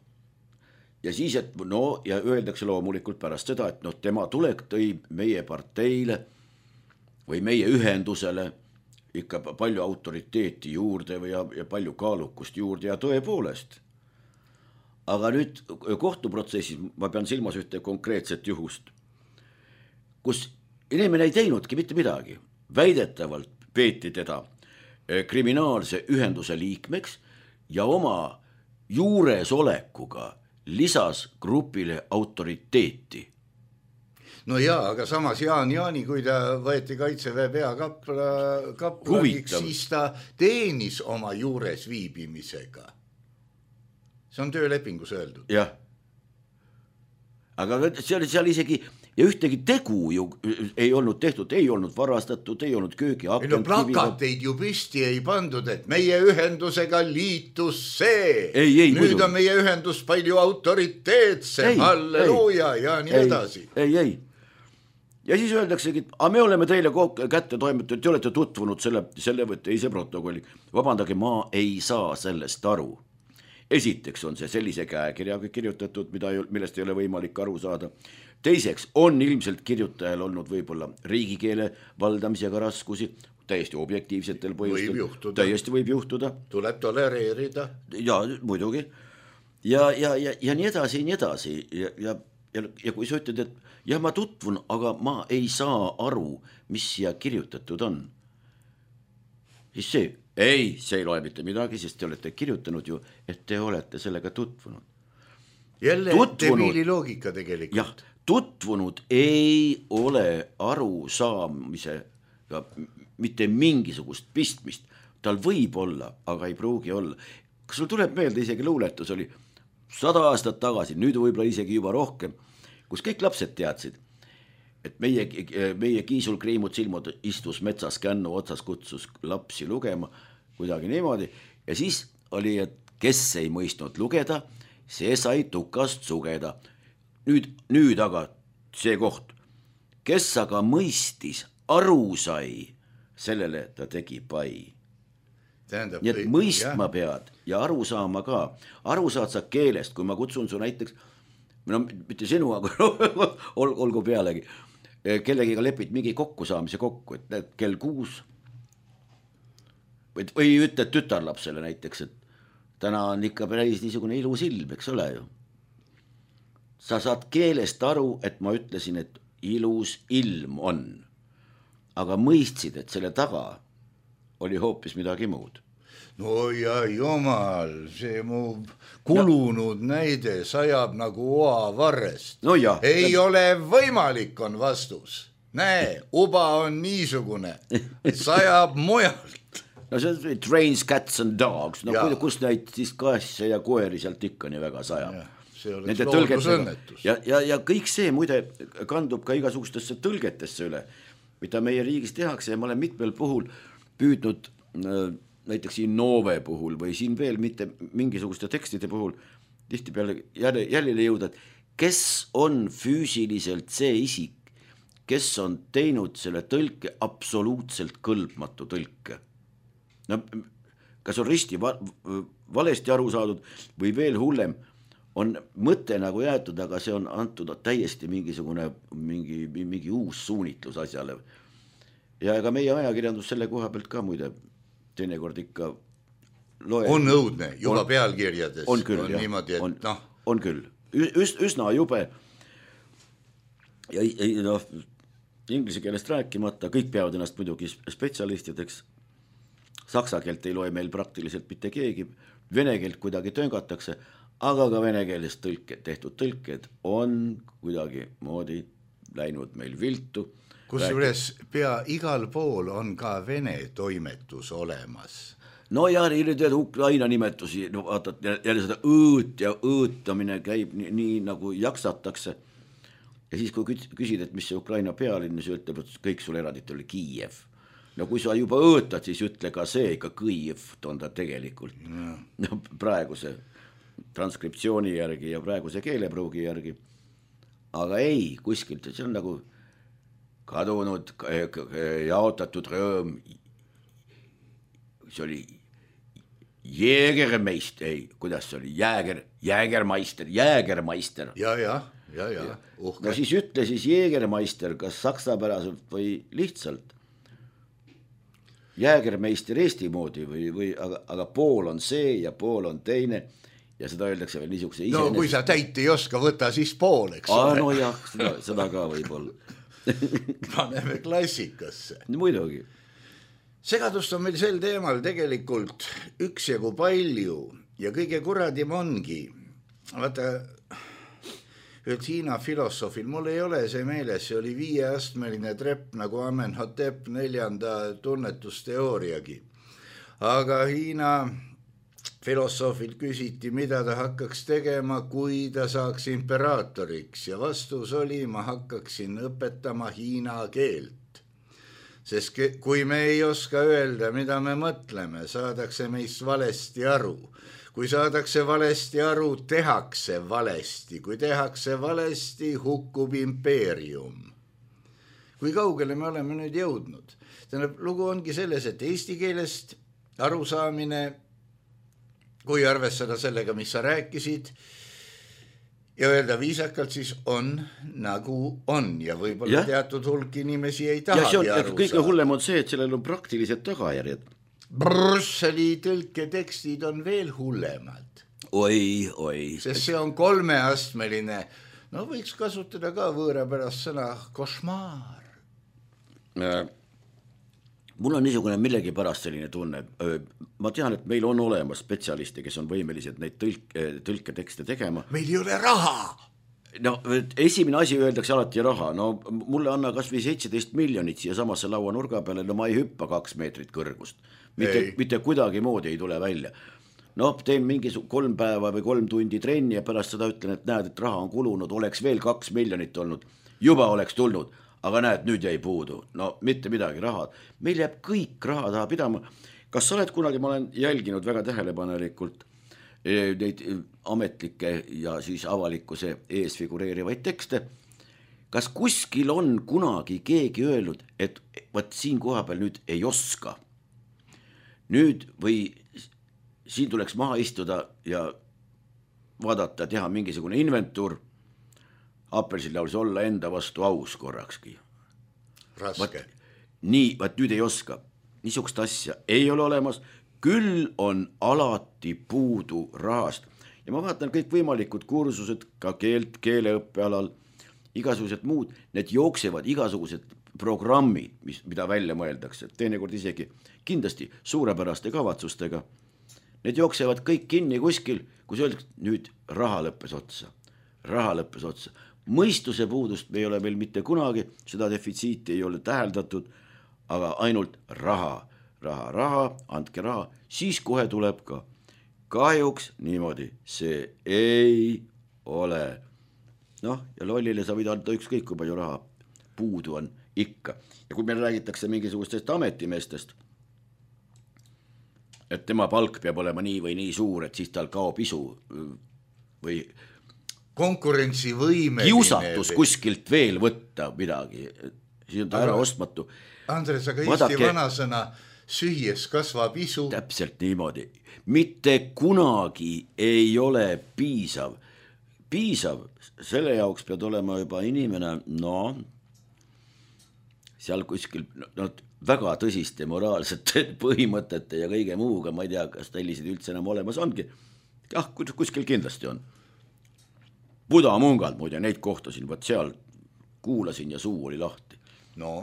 ja siis, et no, ja öeldakse loomulikult pärast seda, et noh, tema tulek tõi meie parteile või meie ühendusele ikka palju autoriteeti juurde või ja, ja palju kaalukust juurde ja tõepoolest. Aga nüüd kohtuprotsessis ma pean silmas ühte konkreetset juhust, kus inimene ei teinudki mitte midagi. Väidetavalt peeti teda kriminaalse ühenduse liikmeks ja oma juuresolekuga lisas grupile autoriteeti. No jaa, aga samas Jaan Jaani, kui ta võeti Kaitseväe peakapla, kaplaniks, siis ta teenis oma juures viibimisega. See on töölepingus öeldud. Jah. Aga seal, seal isegi ja ühtegi tegu ju ei olnud tehtud, ei olnud varastatud, ei olnud köögi akent. No plakateid ju püsti ei pandud, et meie ühendusega liitus see. Ei, ei, nüüd muidu. On meie ühendus palju autoriteetse, halleluuja ja nii ei, edasi. Ei, ei. Ja siis öeldaksegi, et me oleme teile kätte toimetatud, te olete tutvunud selle, selle või teise protokolli. Vabandage, ma ei saa sellest aru. Esiteks on see sellise käekirjaga kirjutatud, mida, millest ei ole võimalik aru saada. Teiseks on ilmselt kirjutajal olnud võib-olla riigikeele valdamisega raskusi, täiesti objektiivsetel põhjustel. Võib juhtuda. Täiesti võib juhtuda. Tuleb tolereerida. Ja, muidugi. Ja, ja, ja, ja nii edasi, nii edasi. Ja, ja, ja, ja kui sa ütled, et jah, ma tutvun, aga ma ei saa aru, mis siia kirjutatud on. Siis see, ei, see ei loe mitte midagi, sest te olete kirjutanud ju, et te olete sellega tutvunud. Jälle debiili loogika tegelikult. Jah, tutvunud ei ole arusaamise mitte mingisugust pistmist. Tal võib olla, aga ei pruugi olla. Kas sul tuleb meelde, isegi luuletus oli sada aastat tagasi, nüüd võib-olla isegi juba rohkem, kus kõik lapsed teadsid, et meie, meie Kiisul Kriimut silmud istus metsas kännu otsas, kutsus lapsi lugema, kuidagi niimoodi. Ja siis oli, et kes ei mõistnud lugeda, see sai tukast sugeda. Nüüd, nüüd aga see koht, kes aga mõistis, aru sai, sellele ta tegi pai. Tähendab, nii et mõistma jah. Pead ja aru saama ka. Aru saad sa keelest, kui ma kutsun su näiteks, no mitte sinu, aga ol, olgu pealegi, kellegiga lepid mingi kokkusaamise kokku, et näed, kell kuus või, või ütled tütarlapsele näiteks, et täna on ikka päris niisugune ilus ilm, eks ole ju. Sa saad keelest aru, et ma ütlesin, et ilus ilm on, aga mõistsid, et selle taga oli hoopis midagi muud. No ja jumal, see mu kulunud no. näide sajab nagu oa varrest. No ja. Ei ja. Ole võimalik, on vastus. Näe, uba on niisugune, sajab mujalt. No see trains, cats and dogs, no ja. Kus neid siis kasse ja koeri sealt ikka nii väga sajab. Ja. See oleks loodusõnnetus. Ja, ja, ja kõik see muide kandub ka igasugustesse tõlgetesse üle, mida meie riigis tehakse ja ma olen mitmel puhul püüdnud näiteks siin Noove puhul või siin veel mitte mingisuguste tekstide puhul tihti peale jälile jõuda, et kes on füüsiliselt see isik, kes on teinud selle tõlke absoluutselt kõlbmatu tõlke. No, kas on risti va valesti aru saadud või veel hullem, on mõte nagu jäetud, aga see on antud täiesti mingisugune mingi, mingi uus suunitlus asjale. Ja ega meie ajakirjandus selle koha pealt ka muide teinekord ikka loe. On õudne, juba on, pealkirjades. On küll, on jah, niimoodi, et, on, noh. on küll. Üs, üsna jube ja, ja noh, inglise keelest rääkimata, kõik peavad ennast muidugi spetsialistideks. Saksa keelt ei loe meil praktiliselt mitte keegi, vene keelt kuidagi töngatakse, aga ka vene keelest tõlke, tehtud tõlked on kuidagi moodi läinud meil viltu. Kusjuures pea igal pool on ka vene toimetus olemas. No ja nüüd Ukraina nimetusi, no vaatad, jälle seda õõt ja õõtamine käib nii, nii nagu jaksatakse. Ja siis kui küsid, et mis see Ukraina pealinn, siis ütleb, et kõik sul erandit oli Kiiev. No kui sa juba õõtad, siis ütle ka see ikka Kiiev on ta tegelikult. No. No, praeguse transkriptsiooni järgi ja praeguse keelepruugi järgi. Aga ei, kuskilt, see on nagu kadunud, jaotatud rõõm, see oli Jägermeist, ei, kuidas see oli, Jäger, Jägermeister, Jägermeister. Ja, ja, ja, ja, uhke. No siis ütle siis Jägermeister, kas saksapäraselt või lihtsalt. Jägermeister Eesti moodi või, või aga, aga pool on see ja pool on teine ja seda öeldakse veel niisuguse no iseenes... kui sa täit ei oska, võta siis pool, eks ole. No jah, seda, seda ka võib-olla. Paneme klassikasse. Muidugi. Segadust on meil sel teemal tegelikult üksjagu palju ja kõige kuradim ongi. Vaata, et Hiina filosoofil, mul ei ole see meeles, see oli viieastmeline trepp nagu Amenhotep neljanda tunnetusteooriagi. Aga Hiina filosoofilt küsiti, mida ta hakkaks tegema, kui ta saaks imperaatoriks ja vastus oli, ma hakkaksin õpetama hiina keelt. Sest kui me ei oska öelda, mida me mõtleme, saadakse meist valesti aru. Kui saadakse valesti aru, tehakse valesti. Kui tehakse valesti, hukkub impeerium. Kui kaugele me oleme nüüd jõudnud? Tähendab, lugu ongi selles, et eesti keelest arusaamine, kui arvestada sellega, mis sa rääkisid, ja öelda viisakalt, siis on nagu on ja võib-olla ja. Teatud hulk inimesi ei tahagi aru saada. Kõige hullem on see, et sellel on praktilised tagajärjed. Brüsseli tõlketekstid on veel hullemad. Oi, oi. Sest see on kolmeastmeline, no võiks kasutada ka võõrapärast sõna košmaar. Äh. Mul on niisugune millegi pärast selline tunne. Ma tean, et meil on olemas spetsialisti, kes on võimelised neid tõlk, tõlketekste tegema. Meil ei ole raha. No, esimene asi öeldakse alati raha. No, mulle anna kas või seitseteist miljonit siia samasse laua nurga peale, no ma ei hüppa kaks meetrit kõrgust. Mitte, mitte kuidagi moodi ei tule välja. No, teen mingi kolm päeva või kolm tundi trenni ja pärast seda ütlen, et näed, et raha on kulunud, oleks veel kaks miljonit olnud. Juba oleks tulnud. Aga näed, nüüd jäi puudu. No mitte midagi raha. Meil jääb kõik raha taha pidama. Kas sa oled kunagi, ma olen jälginud väga tähelepanelikult neid ametlikke ja siis avalikkuse ees figureerivaid tekste. Kas kuskil on kunagi keegi öelnud, et võt siin koha peal nüüd ei oska? Nüüd või siin tuleks maha istuda ja vaadata, teha mingisugune inventuur. Appelsil laulis olla enda vastu aus korrakski. Raske. Vaat, nii, vaat nüüd ei oska. Niisugust asja ei ole olemas, küll on alati puudu rahast. Ja ma vaatan kõik võimalikud kursused, ka keelt, keeleõppealal, igasugused muud, need jooksevad igasugused programmid, mis, mida välja mõeldakse. Teinekord isegi kindlasti suurepäraste kavatsustega. Need jooksevad kõik kinni kuskil, kus öeldakse, nüüd raha lõppes otsa. Raha lõppes otsa. Mõistuse puudust me ei ole veel mitte kunagi, seda defitsiiti ei ole täheldatud, aga ainult raha, raha, raha, andke raha, siis kohe tuleb ka. Kahjuks niimoodi, see ei ole. Noh, ja lollile sa võid anda ükskõik, kui palju raha puudu on ikka. Ja kui meil räägitakse mingisugustest ametimeestest, et tema palk peab olema nii või nii suur, et siis tal kaob isu või konkurentsivõimeline. Kiusatus kuskilt veel võtta midagi, siis on ta ära ostmatu. Andres, aga Vaadake, Eesti vanasõna süües kasvab isu. Täpselt niimoodi. Mitte kunagi ei ole piisav. Piisav, selle jaoks pead olema juba inimene, no, seal kuskil no, väga tõsiste moraalsete põhimõtete ja kõige muuga, ma ei tea, kas tellisid üldse enam olemas ongi. Jah, kuskil kindlasti on. Buda Mungal, muide, neid kohtasin, võt seal kuulasin ja suu oli lahti. No.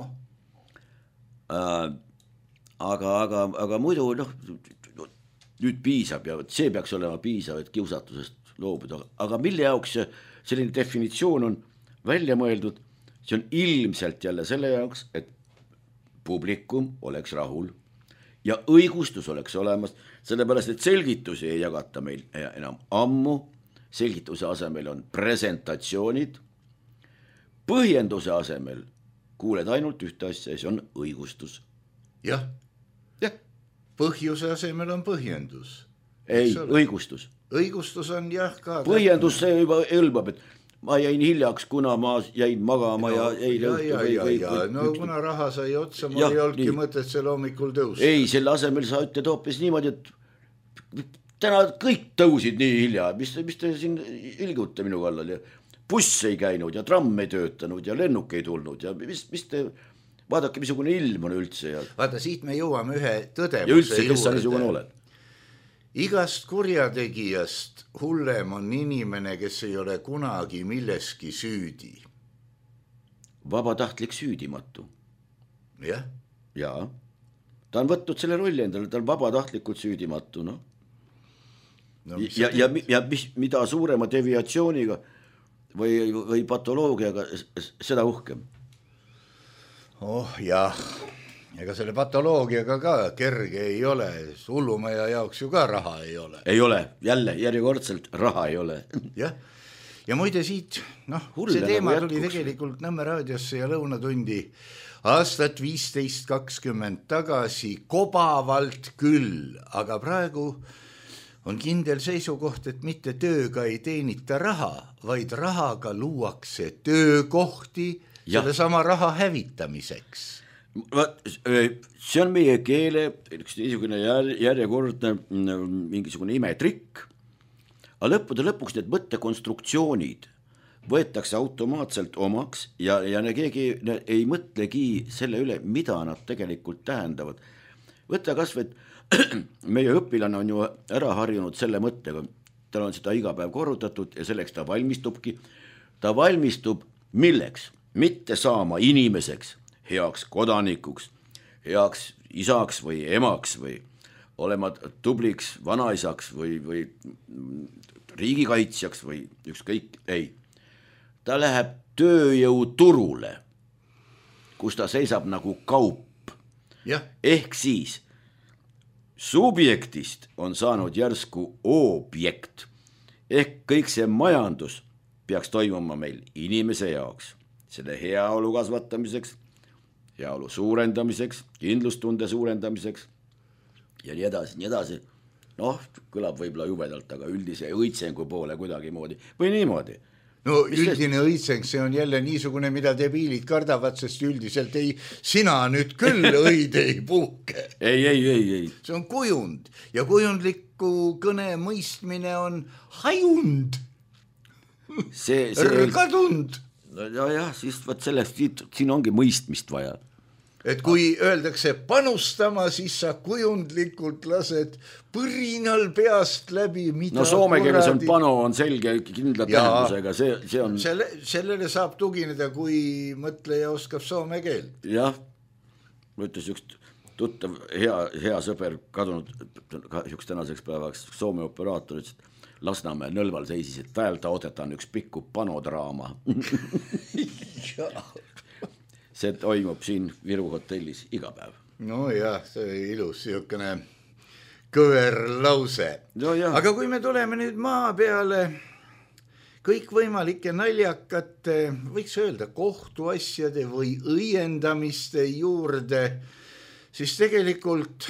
Äh, aga, aga, aga muidu, noh, nüüd piisab ja see peaks olema piisav, et kiusatusest loobuda. Aga mille jaoks selline definitsioon on välja mõeldud, see on ilmselt jälle selle jaoks, et publikum oleks rahul ja õigustus oleks olemas, sellepärast, et selgitusi ei jagata meil enam ammu, selgituse asemel on presentatsioonid, põhjenduse asemel kuuled ainult ühte asja ja see on õigustus. Jah, jah. Põhjuse asemel on põhjendus. Ei, õigustus. Õigustus on jah ka... Põhjendus see juba ülbab, et ma jäin hiljaks, kuna ma jäin magama no, ja eile õhtu ja, või, ja, või, ja. Või, no või, kuna raha sai otsa, mul ei olnudki mõtet selle hommikul tõusta. Ei, selle asemel sa ütled hoopis niimoodi, et täna kõik tõusid nii hilja, mis, mis te siin ilgute minu kallal ja buss ei käinud ja tramm ei töötanud ja lennuk ei tulnud ja mis, mis te... Vaadake, missugune ilm on üldse. Ja... Vaata, siit me jõuame ühe tõdemuse ja üldse, kes sa niisugune oled? Igast kurjategijast hullem on inimene, kes ei ole kunagi milleski süüdi. Vabatahtlik süüdimatu. Jah. Jaa. Ta on võtnud selle rolli endale, ta on vabatahtlikult süüdimatu. No? No, ja ja, ja mis, mida suurema deviatsiooniga või, või patoloogiaga, seda uhkem. Oh jah. Ega selle patoloogiaga ka kerge ei ole, hullumaja jaoks ju ka raha ei ole. Ei ole, jälle, järjekordselt raha ei ole. Jah, ja muide siit, noh, see teema tuli tegelikult Nõmme raadiosse ja lõunatundi aastat viisteist kakskümmend tagasi kobavalt küll, aga praegu on kindel seisukoht, et mitte tööga ei teenita raha, vaid rahaga luuakse töökohti ja. Selle sama raha hävitamiseks. See on meie keele üks niisugune järjekordne mingisugune imetrikk, aga lõppude lõpuks need mõttekonstruktsioonid võetakse automaatselt omaks ja, ja ne keegi ne ei mõtlegi selle üle, mida nad tegelikult tähendavad. Võtta kas või, meie õpilane on ju ära harjunud selle mõttega, tal on seda iga päev korrutatud ja selleks ta valmistubki. Ta valmistub milleks? Mitte saama inimeseks, heaks kodanikuks, heaks isaks või emaks või olema tubliks vanaisaks või, või riigikaitsjaks või ükskõik, ei. Ta läheb tööjõuturule, kus ta seisab nagu kaup. Ja. Ehk siis subjektist on saanud järsku objekt. Ehk kõik see majandus peaks toimuma meil inimese jaoks, selle heaolu kasvatamiseks, heaolu suurendamiseks, kindlustunde suurendamiseks ja nii edasi, nii edasi. Noh, kõlab võib-olla jubedalt, aga üldise õitsengu poole kuidagi moodi või niimoodi. No üldine õitseng, see on jälle niisugune, mida debiilid kardavad, sest üldiselt ei, sina nüüd küll õid ei puhke. ei, ei, ei, ei. See on kujund ja kujundliku kõne mõistmine on hajund. See, see kadund. Ja, jah, siis võt sellest, siin ongi mõistmist vaja. Et kui öeldakse panustama, siis sa kujundlikult lased põrinal peast läbi, mida no soome keeles on pano, on selge kindla tähendusega, see, see on... Selle, sellele saab tugineda, kui mõtleja oskab soome keelt. Jah, ma ütles üks tuttav, hea, hea sõber kadunud, üks tänaseks päevaks soome operaator, et Lasnamäe Nõlval seisis, et päevta otetaan üks pikku panodraama. See toimub siin Viru hotellis iga päev. No jah, see ilus siukene kõver lause. No jah. Aga kui me tuleme nüüd maa peale kõikvõimalike naljakate, võiks öelda kohtuasjade või õiendamiste juurde, siis tegelikult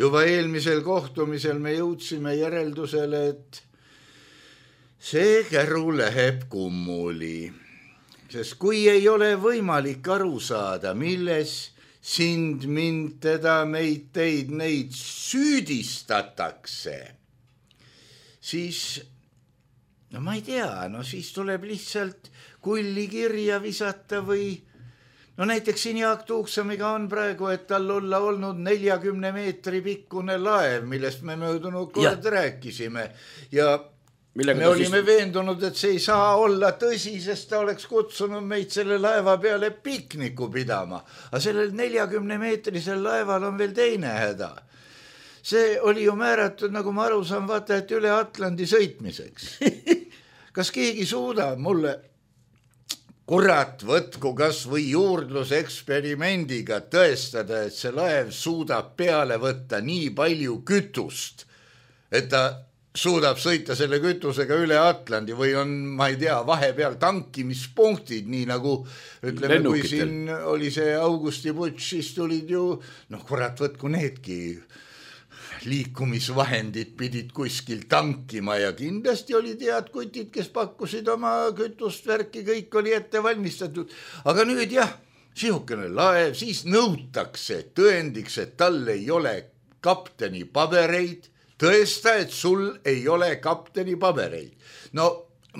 juba eelmisel kohtumisel me jõudsime järeldusele, et see käru läheb kummuli, sest kui ei ole võimalik aru saada, milles sind, mind, teda, meid, teid, neid süüdistatakse, siis no ma ei tea, no siis tuleb lihtsalt kulli kirja visata või no näiteks siin Jaak Tuuksamiga on praegu, et tal olla olnud neljakümne meetri pikkune laev, millest me möödunud kord ja. rääkisime ja Millega me olime siis... veendunud, et see ei saa olla tõsi, sest ta oleks kutsunud meid selle laeva peale pikniku pidama. Aga sellel neljakümne meetrisel laeval on veel teine häda. See oli ju määratud, nagu ma aru saan, vaata, et üle Atlandi sõitmiseks. Kas keegi suudab mulle, kurat, võtku kas või juurdluseksperimendiga tõestada, et see laev suudab peale võtta nii palju kütust, et ta suudab sõita selle kütusega üle Atlandi või on, ma ei tea, vahepeal tankimispunktid, nii nagu ütleme, kui siin oli see Augusti Butš, siis tulid ju, noh kurat, võtku needki liikumisvahendid pidid kuskil tankima ja kindlasti oli tead kutid, kes pakkusid oma kütust, värki, kõik oli ette valmistatud. Aga nüüd jah, sihukene laev, siis nõutakse tõendiks, et tal ei ole kapteni pabereid, tõesta, et sul ei ole kapteni pabereid. No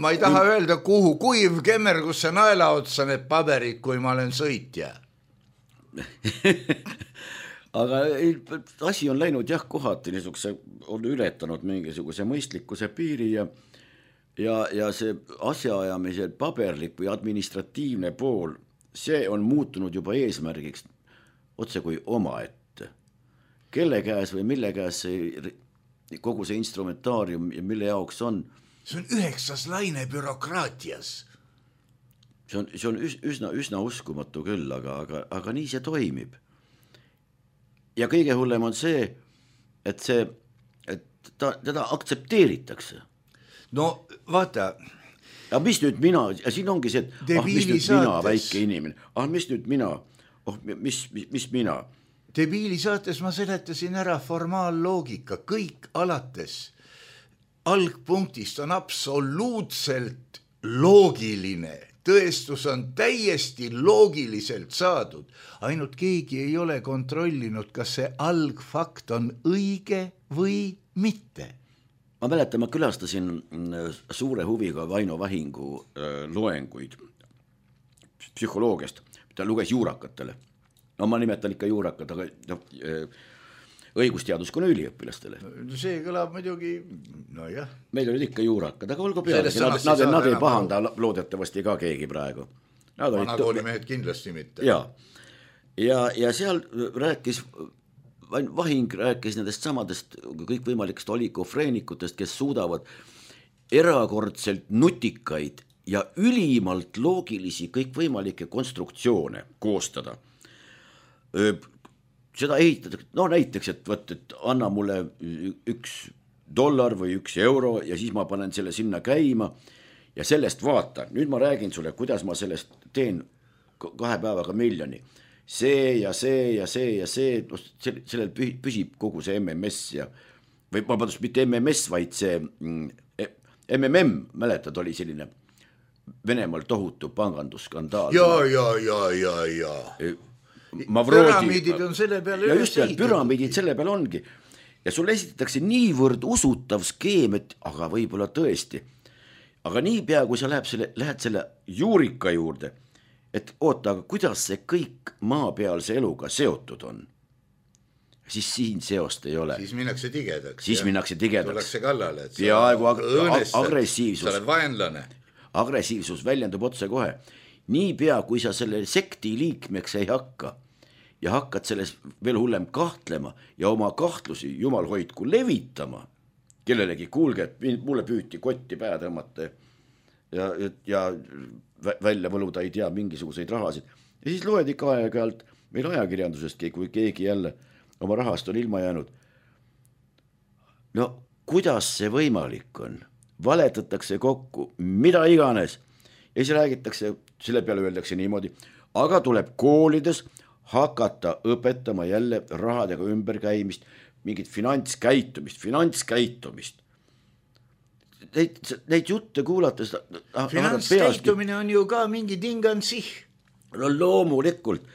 ma ei taha öelda, kuhu kuiv kemmergusse naela otsa need paberid, kui ma olen sõitja. Aga asi on läinud jah kohati, niisuguse on ületanud mingisuguse mõistlikkuse piiri ja, ja, ja see asjaajamise paberlik või administratiivne pool, see on muutunud juba eesmärgiks otse kui omaette. Kelle käes või mille käes see kogu see instrumentaarium ja mille jaoks on. See on üheksas laine bürokraatias. See on, see on üsna, üsna uskumatu küll, aga, aga, aga nii see toimib. Ja kõige hullem on see, et see, et ta, teda aktsepteeritakse. No vaata. Ja mis nüüd mina, ja siin ongi see, et ah, mis nüüd mina, väike inimene, ah, mis nüüd mina, oh, mis, mis, mis mina. Debiili saates ma seletasin ära formaalloogika, kõik alates algpunktist on absoluutselt loogiline. Tõestus on täiesti loogiliselt saadud. Ainult keegi ei ole kontrollinud, kas see algfakt on õige või mitte. Ma mäletan, ma külastasin suure huviga Vaino Vahingu loenguid psühholoogiast. Ta luges juurakatele. No ma nimetan ikka juurakat, aga no, õigusteadus kuna üliõpilastele. See kõlab muidugi, no jah. Meil olid ikka juurakad, aga olgu peale. Nad, nad, nad ei pahanda loodetavasti ka keegi praegu. Vanakoolimehed kindlasti mitte. Ja, ja, ja seal rääkis, Vahing rääkis nendest samadest kõikvõimalikest olikofreenikutest, kes suudavad erakordselt nutikaid ja ülimalt loogilisi kõikvõimalikke konstruktsioone koostada. Seda ehitatakse, no näiteks, et, võt, et anna mulle üks dollar või üks euro ja siis ma panen selle sinna käima ja sellest vaata. Nüüd ma räägin sulle, kuidas ma sellest teen kahe päevaga miljoni. See ja see ja see ja see, sellel püsib kogu see M M S ja, või ma padus mitte M M S, vaid see M M M, mäletad, oli selline Venemaal tohutu pangandusskandaal. Ja, ja, ja, ja, ja. Mavroodi, püramiidid on selle peale ja just seal, püramiidid selle peale ongi ja sulle esitatakse niivõrd usutav skeem, et aga võib-olla tõesti, aga nii pea kui sa läheb selle, lähed selle juurika juurde, et oota, aga kuidas see kõik maapealse eluga seotud on, siis siin seost ei ole. Siis minnakse tigedaks. Siis minnakse tigedaks. Tullakse kallale, et peaaegu ag agressiivsus. Sa oled vaenlane. Agressiivsus väljendub otse kohe. Nii pea, kui sa selle sekti liikmeks ei hakka ja hakkad selles veel hullem kahtlema ja oma kahtlusi, jumal hoidku, levitama kellelegi, kuulge, et mulle püüti kotti päe tõmmata ja, ja, ja välja võluda ei tea mingisuguseid rahasid. Ja siis loed ikka aeg-ajalt meil ajakirjandusestki, kui keegi jälle oma rahast on ilma jäänud. No kuidas see võimalik on? Valetatakse kokku, mida iganes. Ja siis räägitakse, selle peale öeldakse niimoodi, aga tuleb koolides hakata õpetama jälle rahadega ümberkäimist, mingit finantskäitumist, finantskäitumist. neid, neid jutte kuulates finantskäitumine on ju ka mingi tingansih. No loomulikult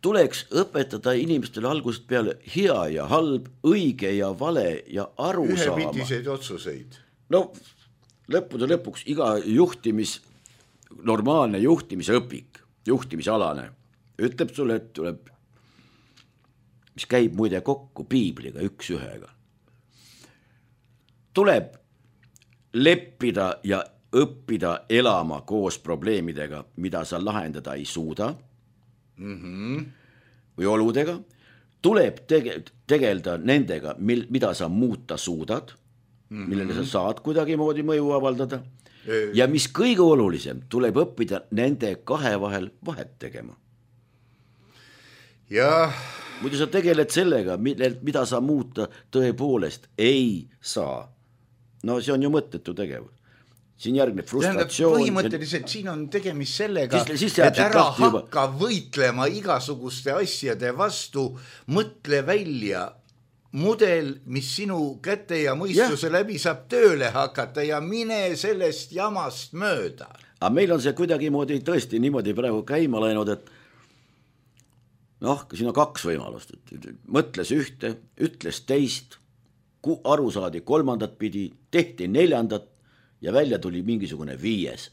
tuleks õpetada inimestele algusest peale hea ja halb, õige ja vale ja aru saama. Ühepitiseid otsuseid. No lõppude lõpuks iga juhtimis, normaalne juhtimise õpik, juhtimisalane, ütleb sulle, et tuleb, mis käib muide kokku piibliga üks ühega. Tuleb leppida ja õppida elama koos probleemidega, mida sa lahendada ei suuda mm-hmm. või oludega. Tuleb tege- tegelda nendega, mil, mida sa muuta suudad, mm-hmm. millele sa saad kuidagi moodi mõju avaldada. Ja mis kõige olulisem, tuleb õppida nende kahe vahel vahet tegema. Ja muidu sa tegeled sellega, mida sa muuta tõepoolest ei saa. No see on ju mõttetu tegevus. Siin järgneb frustratsioon. Põhimõtteliselt siin on tegemist sellega, siis, siis et ära hakka juba võitlema igasuguste asjade vastu, mõtle välja mudel, mis sinu käte ja mõistuse ja. läbi saab tööle hakata ja mine sellest jamast mööda. Aga meil on see kuidagi moodi, tõesti niimoodi praegu käima läinud, et noh, siin on kaks võimalust. Mõtles ühte, ütles teist, aru saadi kolmandat pidi, tehti neljandat ja välja tuli mingisugune viies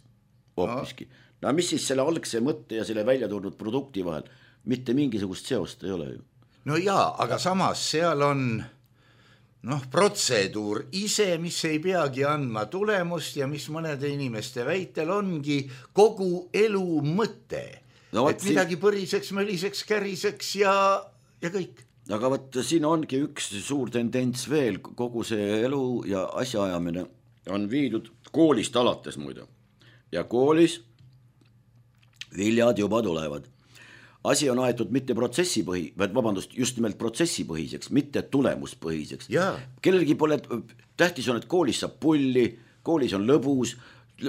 hoopiski. No. no mis siis selle algse mõtte ja selle välja tulnud produkti vahel? Mitte mingisugust seost ei ole ju. No jaa, aga samas seal on noh, protseduur ise, mis ei peagi andma tulemust ja mis mõnede inimeste väitel ongi kogu elu mõte. No, et midagi siin põriseks, möliseks, käriseks ja, ja kõik. Aga võt, siin ongi üks suur tendents veel, kogu see elu ja asjaajamine on viidud koolist alates muidu. Ja koolis viljad juba tulevad. Asi on aetud mitte protsessipõhi, vaid vabandust, just nimelt protsessipõhiseks, mitte tulemuspõhiseks. Ja. Kellelgi pole, tähtis on, et koolis saab pulli, koolis on lõbus,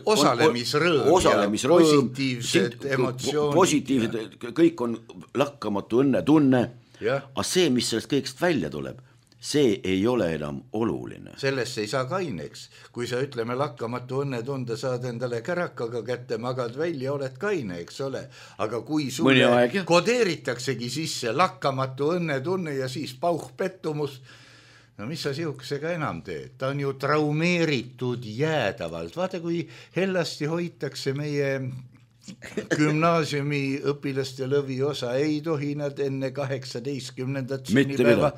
osalemisrõõm, osalemisrõõm ja positiivsed emotsioonid. Positiivsed, kõik on lakkamatu õnne tunne, aga see, mis sellest kõigest välja tuleb, see ei ole enam oluline. Sellest ei saa kaineks. Kui sa ütleme lakkamatu õnne tunde, saad endale kärakaga kätte, magad välja, oled kaine, eks ole. Aga kui sulle kodeeritaksegi sisse lakkamatu õnne tunne ja siis pauh pettumus, no mis sa sihukesega enam teed? Ta on ju traumeeritud jäädavalt. Vaata, kui hellasti hoitakse meie gümnaasiumi õpilaste lõviosa, ei tohi nad enne kaheksateistkümnendat sünnipäeva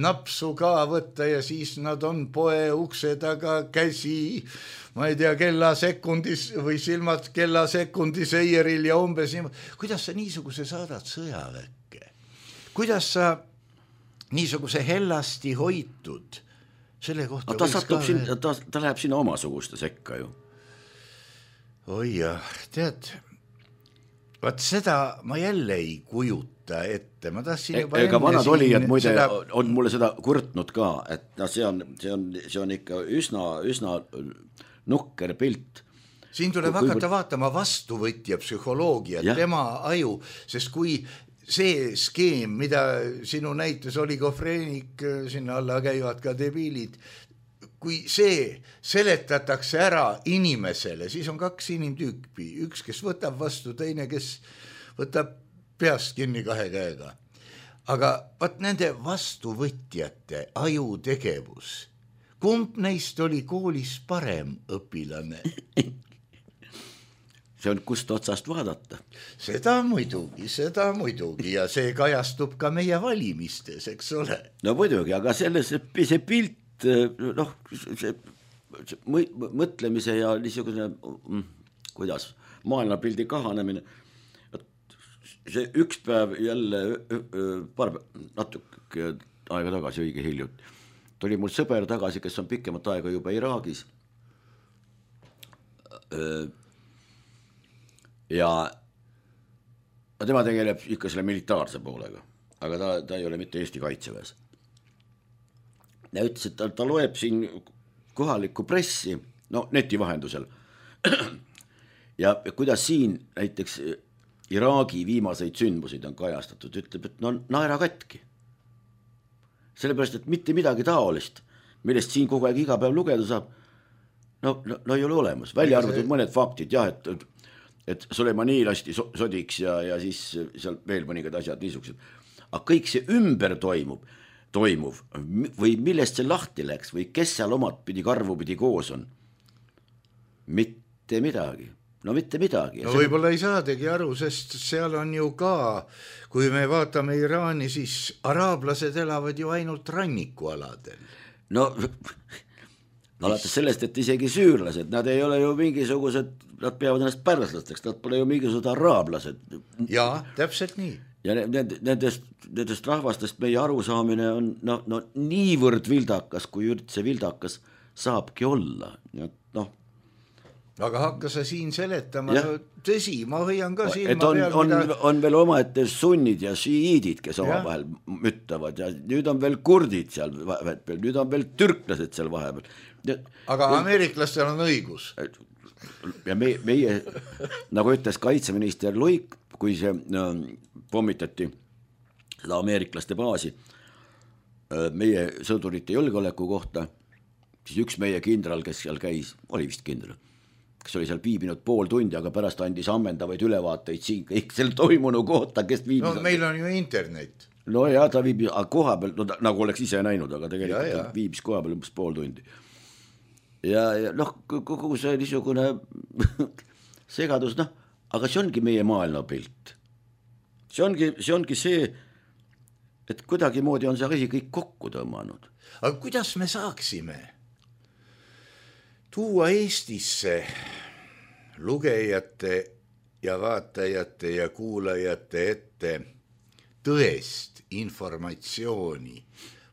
napsu ka võtta ja siis nad on poe ukse taga käsi, ma ei tea, kella sekundis või silmad kella sekundis eieril ja umbes niimoodi. Kuidas sa niisuguse saadad sõjaväkke? Kuidas sa niisuguse hellasti hoitud selle kohta? Ta, satub siin, ta, ta läheb sinna omasuguste sekka ju. Oi jah, tead, vaat seda ma jälle ei kujuta ette. Ma tahtsin juba ega vanad olijad muide seda on mulle seda kurtnud ka, et no, see, on, see, on, see on ikka üsna, üsna nukker pilt. Siin tuleb kui, hakata kui... vaatama vastuvõtja psühholoogia, tema aju, sest kui see skeem, mida sinu näites oligofreenik, sinna alla käivad ka debiilid, kui see seletatakse ära inimesele, siis on kaks inimtüüpi, üks, kes võtab vastu, teine, kes võtab peast kinni kahe käega. Aga vaat nende vastuvõtjate ajutegevus, kumb neist oli koolis parem õpilane? See on kust otsast vaadata. Seda muidugi, seda muidugi ja see kajastub ka meie valimistes, eks ole. No muidugi, aga selles see pilt, noh, see, see mõtlemise ja niisugune, kuidas, maailmapildi kahanemine, see üks päev jälle, paar natuke aega tagasi, õige hiljut, tuli mul sõber tagasi, kes on pikemat aega juba Iraagis ja tema tegeleb ikka selle militaarse poolega, aga ta, ta ei ole mitte Eesti kaitseväes. Ja ütles, et ta, ta loeb siin kohalikku pressi, no neti vahendusel. Ja kuidas siin näiteks Iraagi viimaseid sündmusid on kajastatud, ütleb, et no naera katki. Sellepärast, et mitte midagi taolist, millest siin kogu aeg iga päev lugeda saab, no, no, no ei ole olemas, välja arvatud see... mõned faktid jah, et, et Soleimani lasti sodiks ja, ja siis seal veel mõningad asjad niisugused. Aga kõik see ümber toimub, toimuv või millest see lahti läks või kes seal omad pidi karvu pidi koos on, mitte midagi. No mitte midagi. No võib-olla ei saadegi aru, sest seal on ju ka, kui me vaatame Iraani, siis araablased elavad ju ainult rannikualadel. No alates sellest, et isegi süürlased, nad ei ole ju mingisugused, nad peavad ennast pärslasteks, nad pole ju mingisugused araablased. Jaa, täpselt nii. Ja nendest, nendest rahvastest meie arusaamine on no, no, niivõrd vildakas, kui üldse vildakas saabki olla. Noh, aga hakka sa siin seletama, no, tõsi, ma hoian ka silma on, peal, on, mida... on veel omaette sunnid ja šiiidid, kes oma vahel müttavad ja nüüd on veel kurdid seal vahepeal, nüüd on veel türklased seal vahepeal. Aga ameeriklastel on õigus. Ja meie, meie nagu ütles kaitseminister Luik, kui see no, pommitati seda ameeriklaste baasi meie sõdurite julgeoleku kohta, siis üks meie kindral, kes seal käis, oli vist kindral, kes oli seal viibinud pool tundi, aga pärast andis ammendavaid ülevaateid siin kõik seal toimunu kohta, kes viibis. No meil on ju internet. No ja ta viibis koha peal, no, nagu oleks ise näinud, aga tegelikult ja, ja. viibis koha peal umbes pool tundi. Ja, ja noh, kogu see niisugune segadus, noh, aga see ongi meie maailmapilt. See ongi, see ongi see, et kuidagi moodi on see asi kõik kokku tõmmanud. Aga kuidas me saaksime tuua Eestisse lugejate ja vaatajate ja kuulajate ette tõest informatsiooni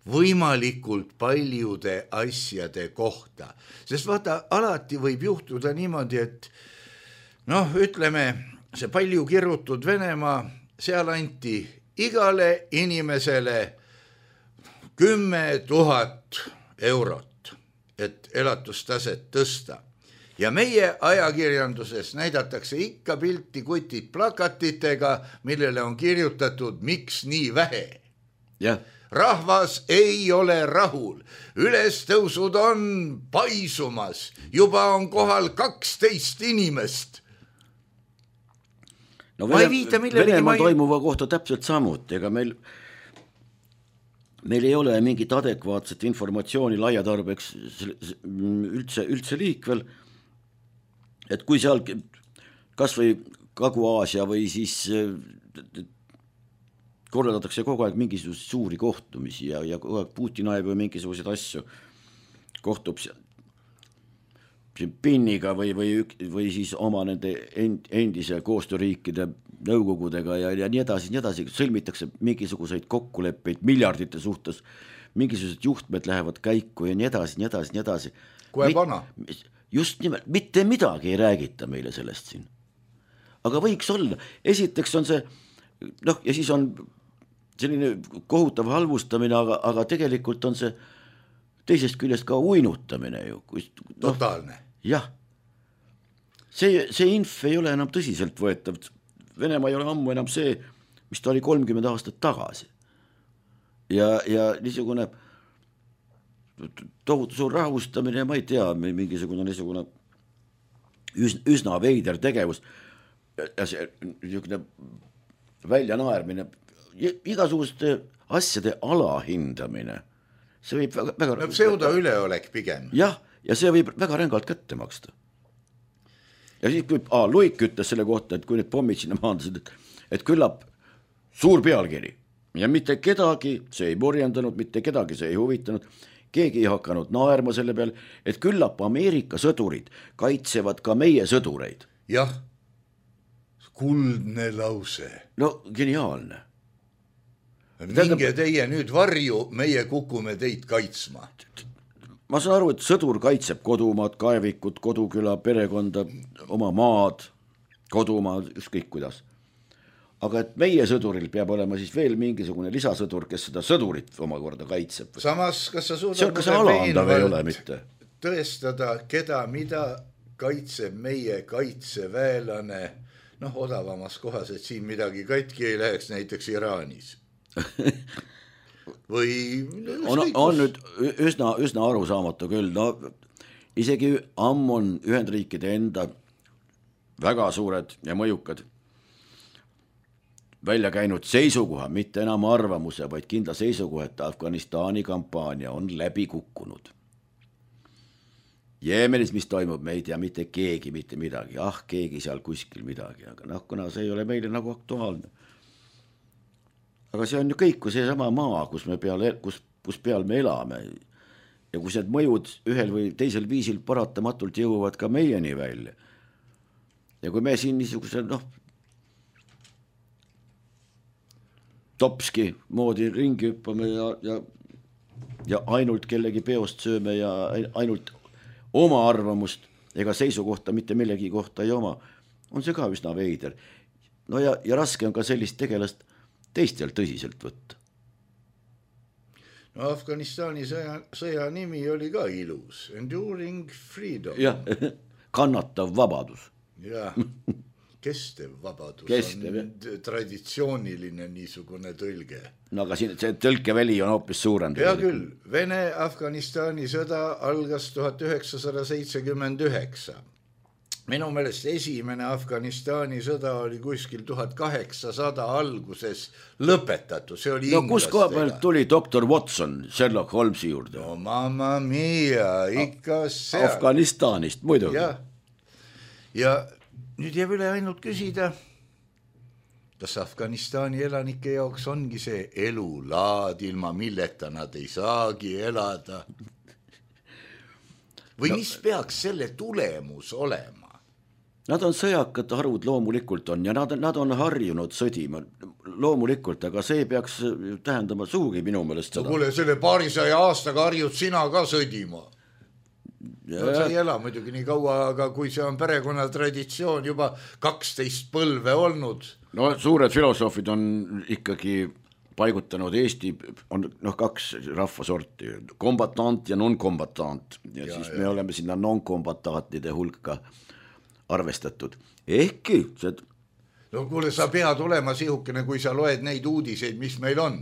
võimalikult paljude asjade kohta. Sest vaata, alati võib juhtuda niimoodi, et noh, ütleme, see palju kirutud Venemaa, seal anti igale inimesele kümme tuhat eurot, et elatustaset tõsta. Ja meie ajakirjanduses näidatakse ikka pilti kutid plakatitega, millele on kirjutatud, miks nii vähe. Yeah. Rahvas ei ole rahul, ülestõusud on paisumas, juba on kohal kaksteist inimest. No Venemaa Venemaa ei... toimuva kohta täpselt samuti, ega meil meil ei ole mingit adekvaatset informatsiooni laiatarbeks üldse, üldse liikvel, et kui seal kas või Kagu-Aasia või siis korraldatakse kogu aeg mingisuguseid suuri kohtumisi ja, ja kogu aeg Putin ajab või mingisuguseid asju, kohtub Pinniga või, või, või siis oma nende endise koostööriikide nõukogudega ja, ja nii edasi, nii edasi, sõlmitakse mingisuguseid kokkuleppeid miljardite suhtes, mingisugused juhtmed lähevad käiku ja nii edasi, nii edasi, nii edasi. Kohe pana. Just nimelt, mitte midagi ei räägita meile sellest siin. Aga võiks olla, esiteks on see, noh, ja siis on selline kohutav halvustamine, aga, aga tegelikult on see teisest küljest ka uinutamine ju. No, totaalne. Jah, see, see inf ei ole enam tõsiselt võetav. Venemaa ei ole ammu enam see, mis ta oli kolmkümmend aastat tagasi. Ja, ja niisugune tohutu suur rahustamine, ma ei tea, mingisugune niisugune üsna, üsna veider tegevus ja see niisugune väljanaermine, igasuguste asjade alahindamine, see võib väga, väga no, pseudo üleolek pigem. Jah, ja see võib väga rängalt kätte maksta. Ja siis kui aa, Luik ütles selle kohta, et kui need pommid sinna maandasid, et, et küllap suur pealkiri ja mitte kedagi see ei morjendanud, mitte kedagi see ei huvitanud, keegi ei hakanud naerma selle peal, et küllap Ameerika sõdurid kaitsevad ka meie sõdureid. Jah, kuldne lause. No geniaalne. Minge teie nüüd varju, meie kukume teid kaitsma. Ma saan aru, et sõdur kaitseb kodumaad, kaevikut, koduküla, perekonda, oma maad, kodumaad, ükskõik kuidas. Aga et meie sõduril peab olema siis veel mingisugune lisasõdur, kes seda sõdurit omakorda kaitseb. Samas, kas sa suudad see on, kas see alandav ei ole mitte? Tõestada, keda, mida kaitseb meie kaitseväelane, noh, odavamas kohas, et siin midagi katki ei läheks, näiteks Iraanis. Või on, on nüüd üsna, üsna arusaamatu küll, no isegi ammu on Ühendriikide enda väga suured ja mõjukad välja käinud seisukoha, mitte enam arvamuse, vaid kindla seisukoha, et Afganistani kampaania on läbi kukkunud. Jeemenis, mis toimub, me ei tea mitte keegi, mitte midagi, ah, keegi seal kuskil midagi, aga noh, kuna see ei ole meile nagu aktuaalne. Aga see on ju kõik, kui see sama maa, kus, me peal, kus, kus peal me elame ja kus need mõjud ühel või teisel viisil paratamatult jõuavad ka meieni välja. Ja kui me siin niisuguse, noh, topski moodi ringi hüppame ja, ja, ja ainult kellegi peost sööme ja ainult oma arvamust ega seisukohta mitte millegi kohta ei oma, on see ka üsna veider. No ja, ja raske on ka sellist tegelast teistel tõsiselt võtta. No Afganistani sõja, sõja nimi oli ka ilus. Enduring Freedom. Jah, kannatav vabadus. Jah, kestev vabadus kestev, on jah. Traditsiooniline niisugune tõlge. No aga siin see tõlkeväli on hoopis suurem. Hea küll, Vene-Afganistani sõda algas tuhat üheksasada seitsekümmend üheksa. Minu meelest esimene Afganistani sõda oli kuskil tuhat kaheksasada alguses lõpetatud. See oli no kus koha pealt tuli doktor Watson Sherlock Holmesi juurde? No mamma mia, ikka seal. Afganistanist muidugi. Ja, ja nüüd jääb üle ainult küsida, kas Afganistani elanike jaoks ongi see elulaad, ilma milleta nad ei saagi elada? Või no, mis peaks selle tulemus olema? Nad on sõjakad harud loomulikult on ja nad, nad on harjunud sõdima loomulikult, aga see peaks tähendama suhugi minu meelest seda. No kuule, selle paarisaja aastaga harjud sina ka sõdima. No, sa ei ela muidugi nii kaua, aga kui see on perekonna traditsioon juba kaksteist põlve olnud. No suured filosoofid on ikkagi paigutanud Eesti, on noh, kaks rahvasorti, kombatant ja non-kombatant ja, ja siis ja. Me oleme sinna non-kombatantide hulka arvestatud. Ehkki see... No kuule, sa pead olema sihukene, kui sa loed neid uudiseid, mis meil on.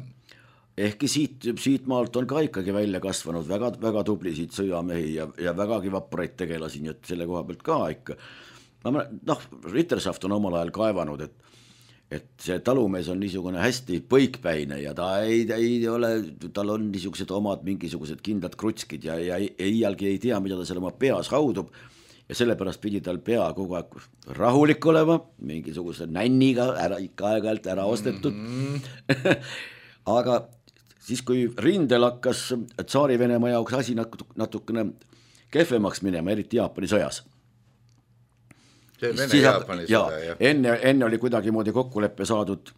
Ehkki siit, siit maalt on ka ikkagi välja kasvanud väga, väga tublisid sõjamehi ja, ja vägagi vapraid tegelasi, nii et selle koha pealt ka ikka. Noh, Rittersaft on omal ajal kaevanud, et et see talumees on niisugune hästi põikpäine ja ta ei, ei ole, tal on niisugused omad mingisugused kindlad krutskid ja, ja iialgi ei tea, mida ta seal oma peas haudub ja sellepärast pidi tal pea kogu aeg rahulik olema, mingisuguse nänniga ära, ikka aeg-ajalt ära ostetud. Mm-hmm. Aga siis, kui rindel hakkas tsaari Venemaa jaoks asi natukene kehvemaks minema, eriti Jaapani sõjas, Vene Jaapani sõda, jah. Enne, enne oli kuidagi moodi kokkuleppe saadud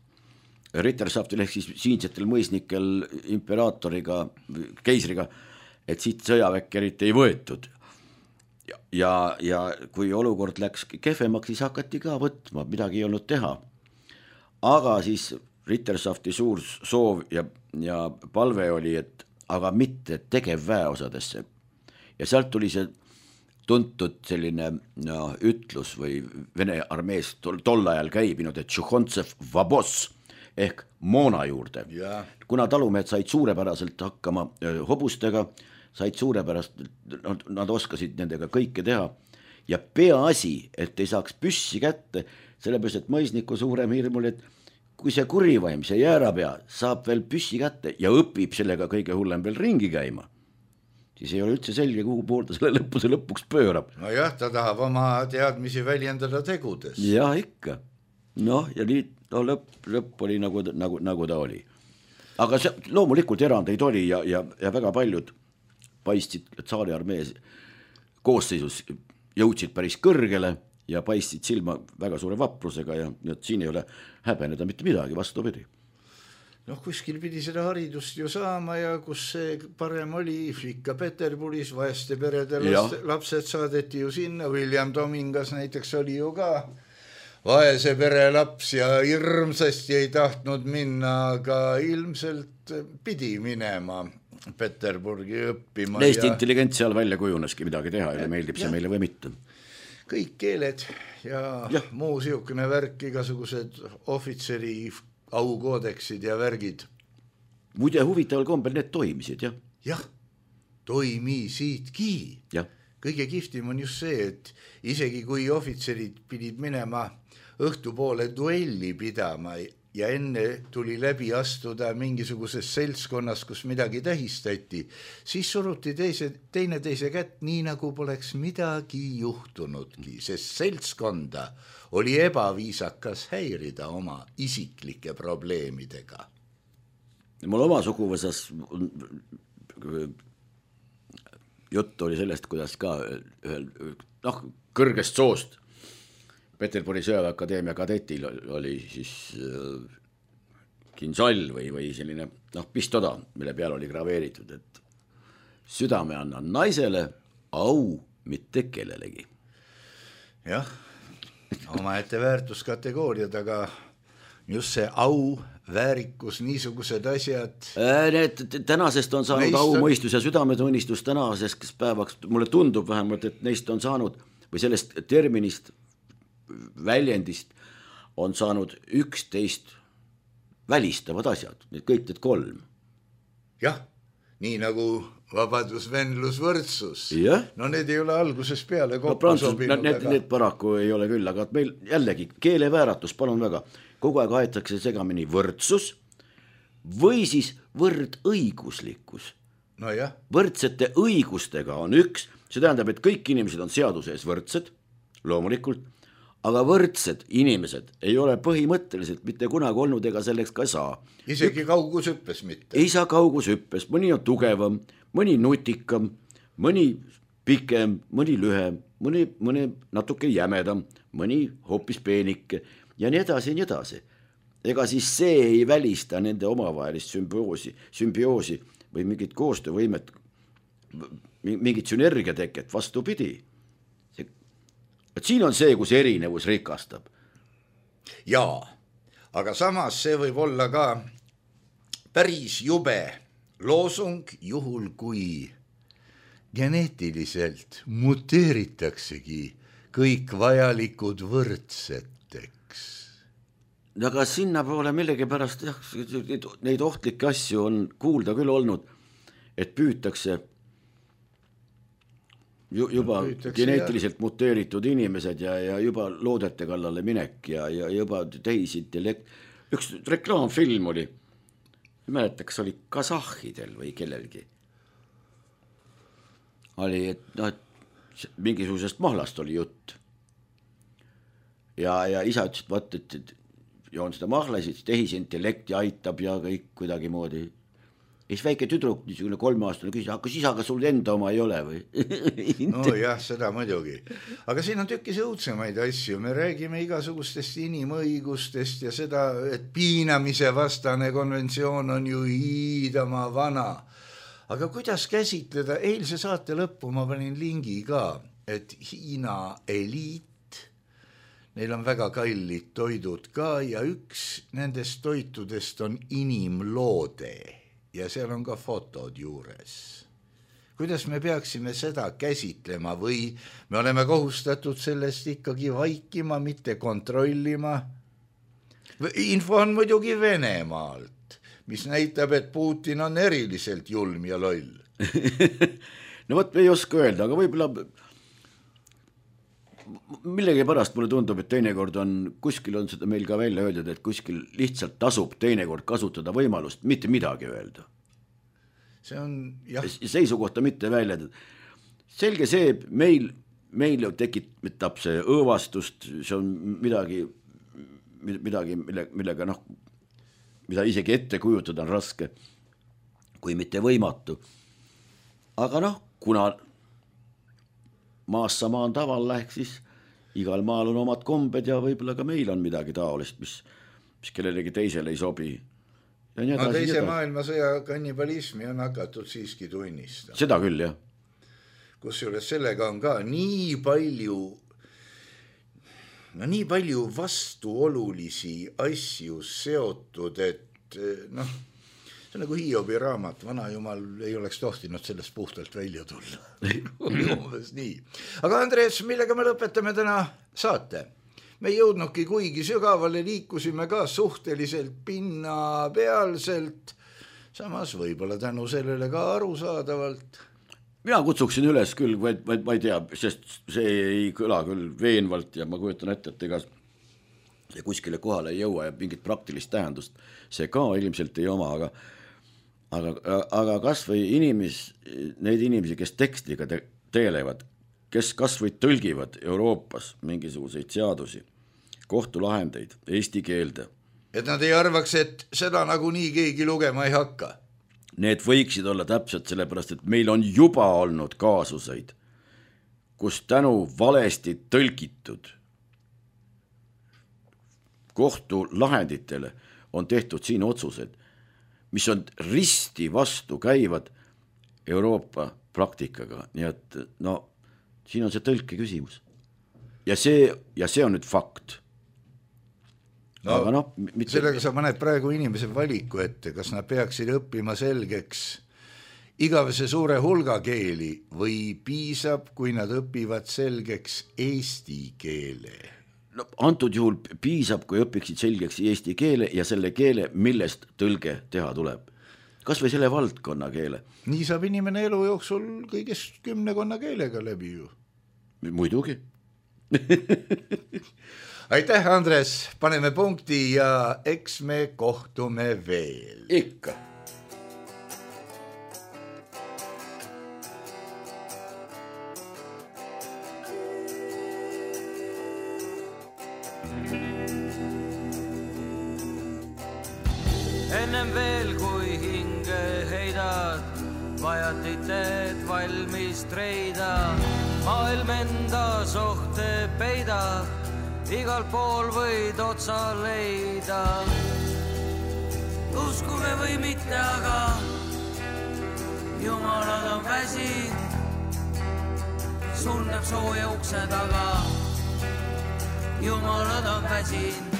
Rittersaftil ehk siis siinsetel mõisnikel imperaatoriga, keisriga, et siit sõjaväkke eriti ei võetud. Ja, ja, ja kui olukord läks kehvemaks, siis hakati ka võtma, midagi ei olnud teha. Aga siis Rittersafti suur soov ja, ja palve oli, et aga mitte tegevväeosadesse. Ja sealt tuli see tuntud selline no, ütlus või Vene armees tol, tol ajal käibinud, et Tšuhontsev vabos ehk moona juurde. Ja. Kuna talumehed said suurepäraselt hakkama öö, hobustega, said suurepärast, nad oskasid nendega kõike teha ja peaasi, et ei saaks püssi kätte, sellepärast, et mõisniku suurem hirm oli, et kui see kurivaim, see jäärapea saab veel püssi kätte ja õpib sellega kõige hullem veel ringi käima, siis ei ole üldse selge, kuhu poolda selle lõpuse lõpuks pöörab. No jah, ta tahab oma teadmisi väljendada tegudes. Ja ikka. Noh, ja nii no, lõpp, lõpp oli nagu, nagu, nagu ta oli. Aga see, loomulikult erandeid oli ja, ja, ja väga paljud paistsid tsaari armees koosseisus, jõudsid päris kõrgele ja paistsid silma väga suure vaprusega ja, ja siin ei ole häbeneda mitte midagi, vastupidi. Noh, kuskil pidi seda haridust ju saama ja kus see parem oli, ikka Peterburis, vaeste perede laste, lapsed saadeti ju sinna, William Domingas näiteks oli ju ka vaese pere laps ja hirmsasti ei tahtnud minna, aga ilmselt pidi minema Peterburgi õppima. Eesti ja... intelligent seal välja kujuneski midagi teha ja meeldib see ja. Meile või mitte. Kõik keeled ja, ja. Muu siukene värk, igasugused ohvitseri aukoodeksid ja värgid. Muide huvitaval kombel need toimisid, jah? Jah, toimisidki. Jah. kõige kihvtim on just see, et isegi kui ohvitserid pidid minema õhtupoole duelli pidama ja enne tuli läbi astuda mingisuguses seltskonnas, kus midagi tähistati, siis suruti teise, teine teise kätt nii, nagu poleks midagi juhtunudki, sest seltskonda oli ebaviisakas häirida oma isiklike probleemidega. Mul oma suguvõsas jutt oli sellest, kuidas ka ühel, noh, kõrgest soost Peterburi sõjaväeakadeemia kadetil oli siis äh, kinsall või, või selline noh, pistoda, mille peal oli graveeritud, et südame annan naisele, au mitte kellelegi. Jah, oma ette väärtuskategooriad, aga just see au, väärikus, niisugused asjad. Need tänasest on saanud au, mõistus ja südametunnistus tänasest päevaks, mulle tundub vähemalt, et neist on saanud või sellest terminist väljendist on saanud üksteist välistavad asjad, need kõik need kolm. Jah, nii nagu vabadus, venlus, võrdsus. Ja? No need ei ole algusest peale kokku no, Prantsus, sobinud. Need, aga... need paraku ei ole küll, aga meil jällegi keelevääratus, palun väga, kogu aeg aetakse segamini võrdsus või siis võrdõiguslikkus. No jah. Võrdsete õigustega on üks, see tähendab, et kõik inimesed on seaduse ees võrdsed, loomulikult, aga võrdsed inimesed ei ole põhimõtteliselt mitte kunagi olnud ega selleks ka saa. Isegi kaugushüppes mitte. Ei saa kaugushüppes, mõni on tugevam, mõni nutikam, mõni pikem, mõni lühem, mõni, mõni natuke jämedam, mõni hoopis peenike ja nii edasi ja nii edasi. Ega siis see ei välista nende omavahelist sümbioosi, sümbioosi või mingit koostöövõimet, mingit sünergiateket, vastupidi. Et siin on see, kus erinevus rikastab. Jaa, aga samas see võib olla ka päris jube loosung, juhul kui geneetiliselt muteeritaksegi kõik vajalikud võrdseteks. Aga sinna poole millegi pärast jah, neid ohtlikke asju on kuulda küll olnud, et püütakse juba no, geneetiliselt ja... muteeritud inimesed ja, ja juba loodete kallale minek ja, ja juba tehisintellekt. Üks reklaamfilm oli, ei mäleta, kas oli kasahhidel või kellelgi. Oli, et, no, et mingisugusest mahlast oli jutt. Ja, ja isa ütles, et, vaat, et, et joon seda mahlasid, tehisintellekti aitab ja kõik kuidagi moodi. Ja siis väike tüdruk, niisugune kolmeaastane küsis, kas isaga sul enda oma ei ole või? No jah, seda muidugi. Aga siin on tükkis õudsemaid asju. Me räägime igasugustest inimõigustest ja seda, et piinamise vastane konventsioon on ju hiidama vana. Aga kuidas käsitleda, eilse saate lõppu ma panin lingi ka, et Hiina eliit, neil on väga kallid toidud ka ja üks nendest toitudest on inimloode. Ja seal on ka fotod juures. Kuidas me peaksime seda käsitlema või me oleme kohustatud sellest ikkagi vaikima, mitte kontrollima? Info on muidugi Venemaalt, mis näitab, et Putin on eriliselt julm ja loll. No võt, ei oska öelda, aga võib-olla millegi pärast mulle tundub, et teinekord on, kuskil on seda meil ka välja öeldud, et kuskil lihtsalt tasub teinekord kasutada võimalust mitte midagi öelda. See on, jah. Seisukohta mitte välja. Selge see, meil, meil tekitab see õõvastust, see on midagi, midagi mille, millega noh, mida isegi ette kujutada on raske, kui mitte võimatu. Aga noh, kuna maas sama on tavalla, ehk siis igal maal on omad kombed ja võib-olla ka meil on midagi taolist, mis, mis kellelegi teisele ei sobi. Ja no teise maailmasõja kannibalismi on hakatud siiski tunnistama. Seda küll, jah. Kusjuures sellega on ka nii palju, no nii palju vastuolulisi asju seotud, et noh, see on nagu Hiobi raamat, vana jumal ei oleks tohtinud sellest puhtalt välja tulla. Umbes nii. Aga Andres, millega me lõpetame täna saate? Me ei jõudnudki kuigi sügavale, liikusime ka suhteliselt pinnapealselt, samas võib-olla tänu sellele ka arusaadavalt. mina kutsuksin üles küll, vaid, vaid ma ei tea, sest see ei kõla küll veenvalt ja ma kujutan ette, et ega see kuskile kohale ei jõua ja mingit praktilist tähendust see ka ilmselt ei oma, aga aga, aga kas või inimes, neid inimesi, kes tekstiga te, teelevad, kes kas või tõlgivad Euroopas mingisuguseid seadusi, kohtulahendeid eesti keelde. Et nad ei arvaks, et seda nagu nii keegi lugema ei hakka. Need võiksid olla täpselt sellepärast, et meil on juba olnud kaasuseid, kus tänu valesti tõlgitud kohtulahenditele on tehtud siin otsused, mis on risti vastu käivad Euroopa praktikaga. Nii et no, siin on see tõlke küsimus. Ja see, ja see on nüüd fakt. No, aga no, mitte... sellega sa paned praegu inimese valiku ette, kas nad peaksid õppima selgeks igavese suure hulga keeli või piisab, kui nad õpivad selgeks eesti keele? No, antud juhul piisab, kui õpiksid selgeks eesti keele ja selle keele, millest tõlge teha tuleb. Kas või selle valdkonna keele? Nii saab inimene elu jooksul kõigest kümnekonna keelega läbi ju. Muidugi. Aitäh, Andres, paneme punkti ja eks me kohtume veel. Ikka. Ennem veel kui hinge heidad, vajatiteed valmis treida, maailm enda sohte peidab, igal pool võid otsa leida. Uskuge või mitte, aga jumalad on väsinud, sunneb sooja ukse taga, jumalad on väsinud.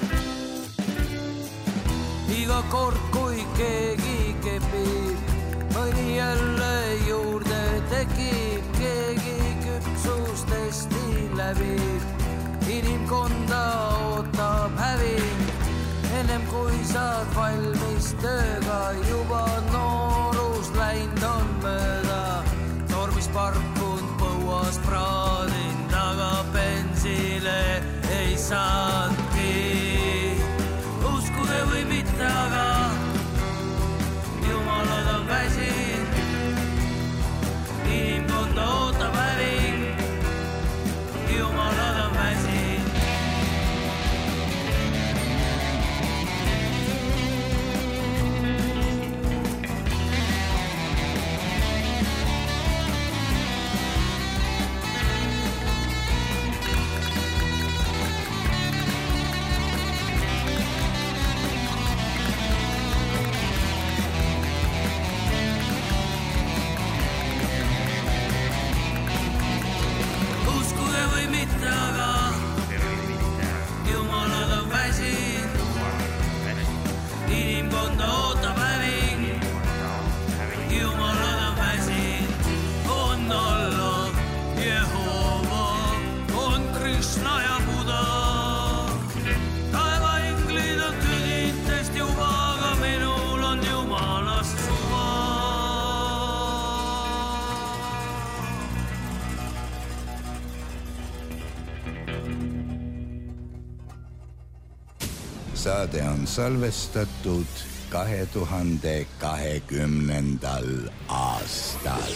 Iga kord, kui keegi kepib, mõni jälle juurde tekib, keegi küpsustesti läbib, inimkonda ootab häving, ennem kui saad valmis tööga, juba noorus läinud on mööda, tormis parkund põuas praadin, taga bensile ei saadki. Uskuge või mitte, aga jumalad on väsinud, inimkonda ootab häving, jumalad on väsinud. Saade on salvestatud kahe tuhande kahekümnendal aastal.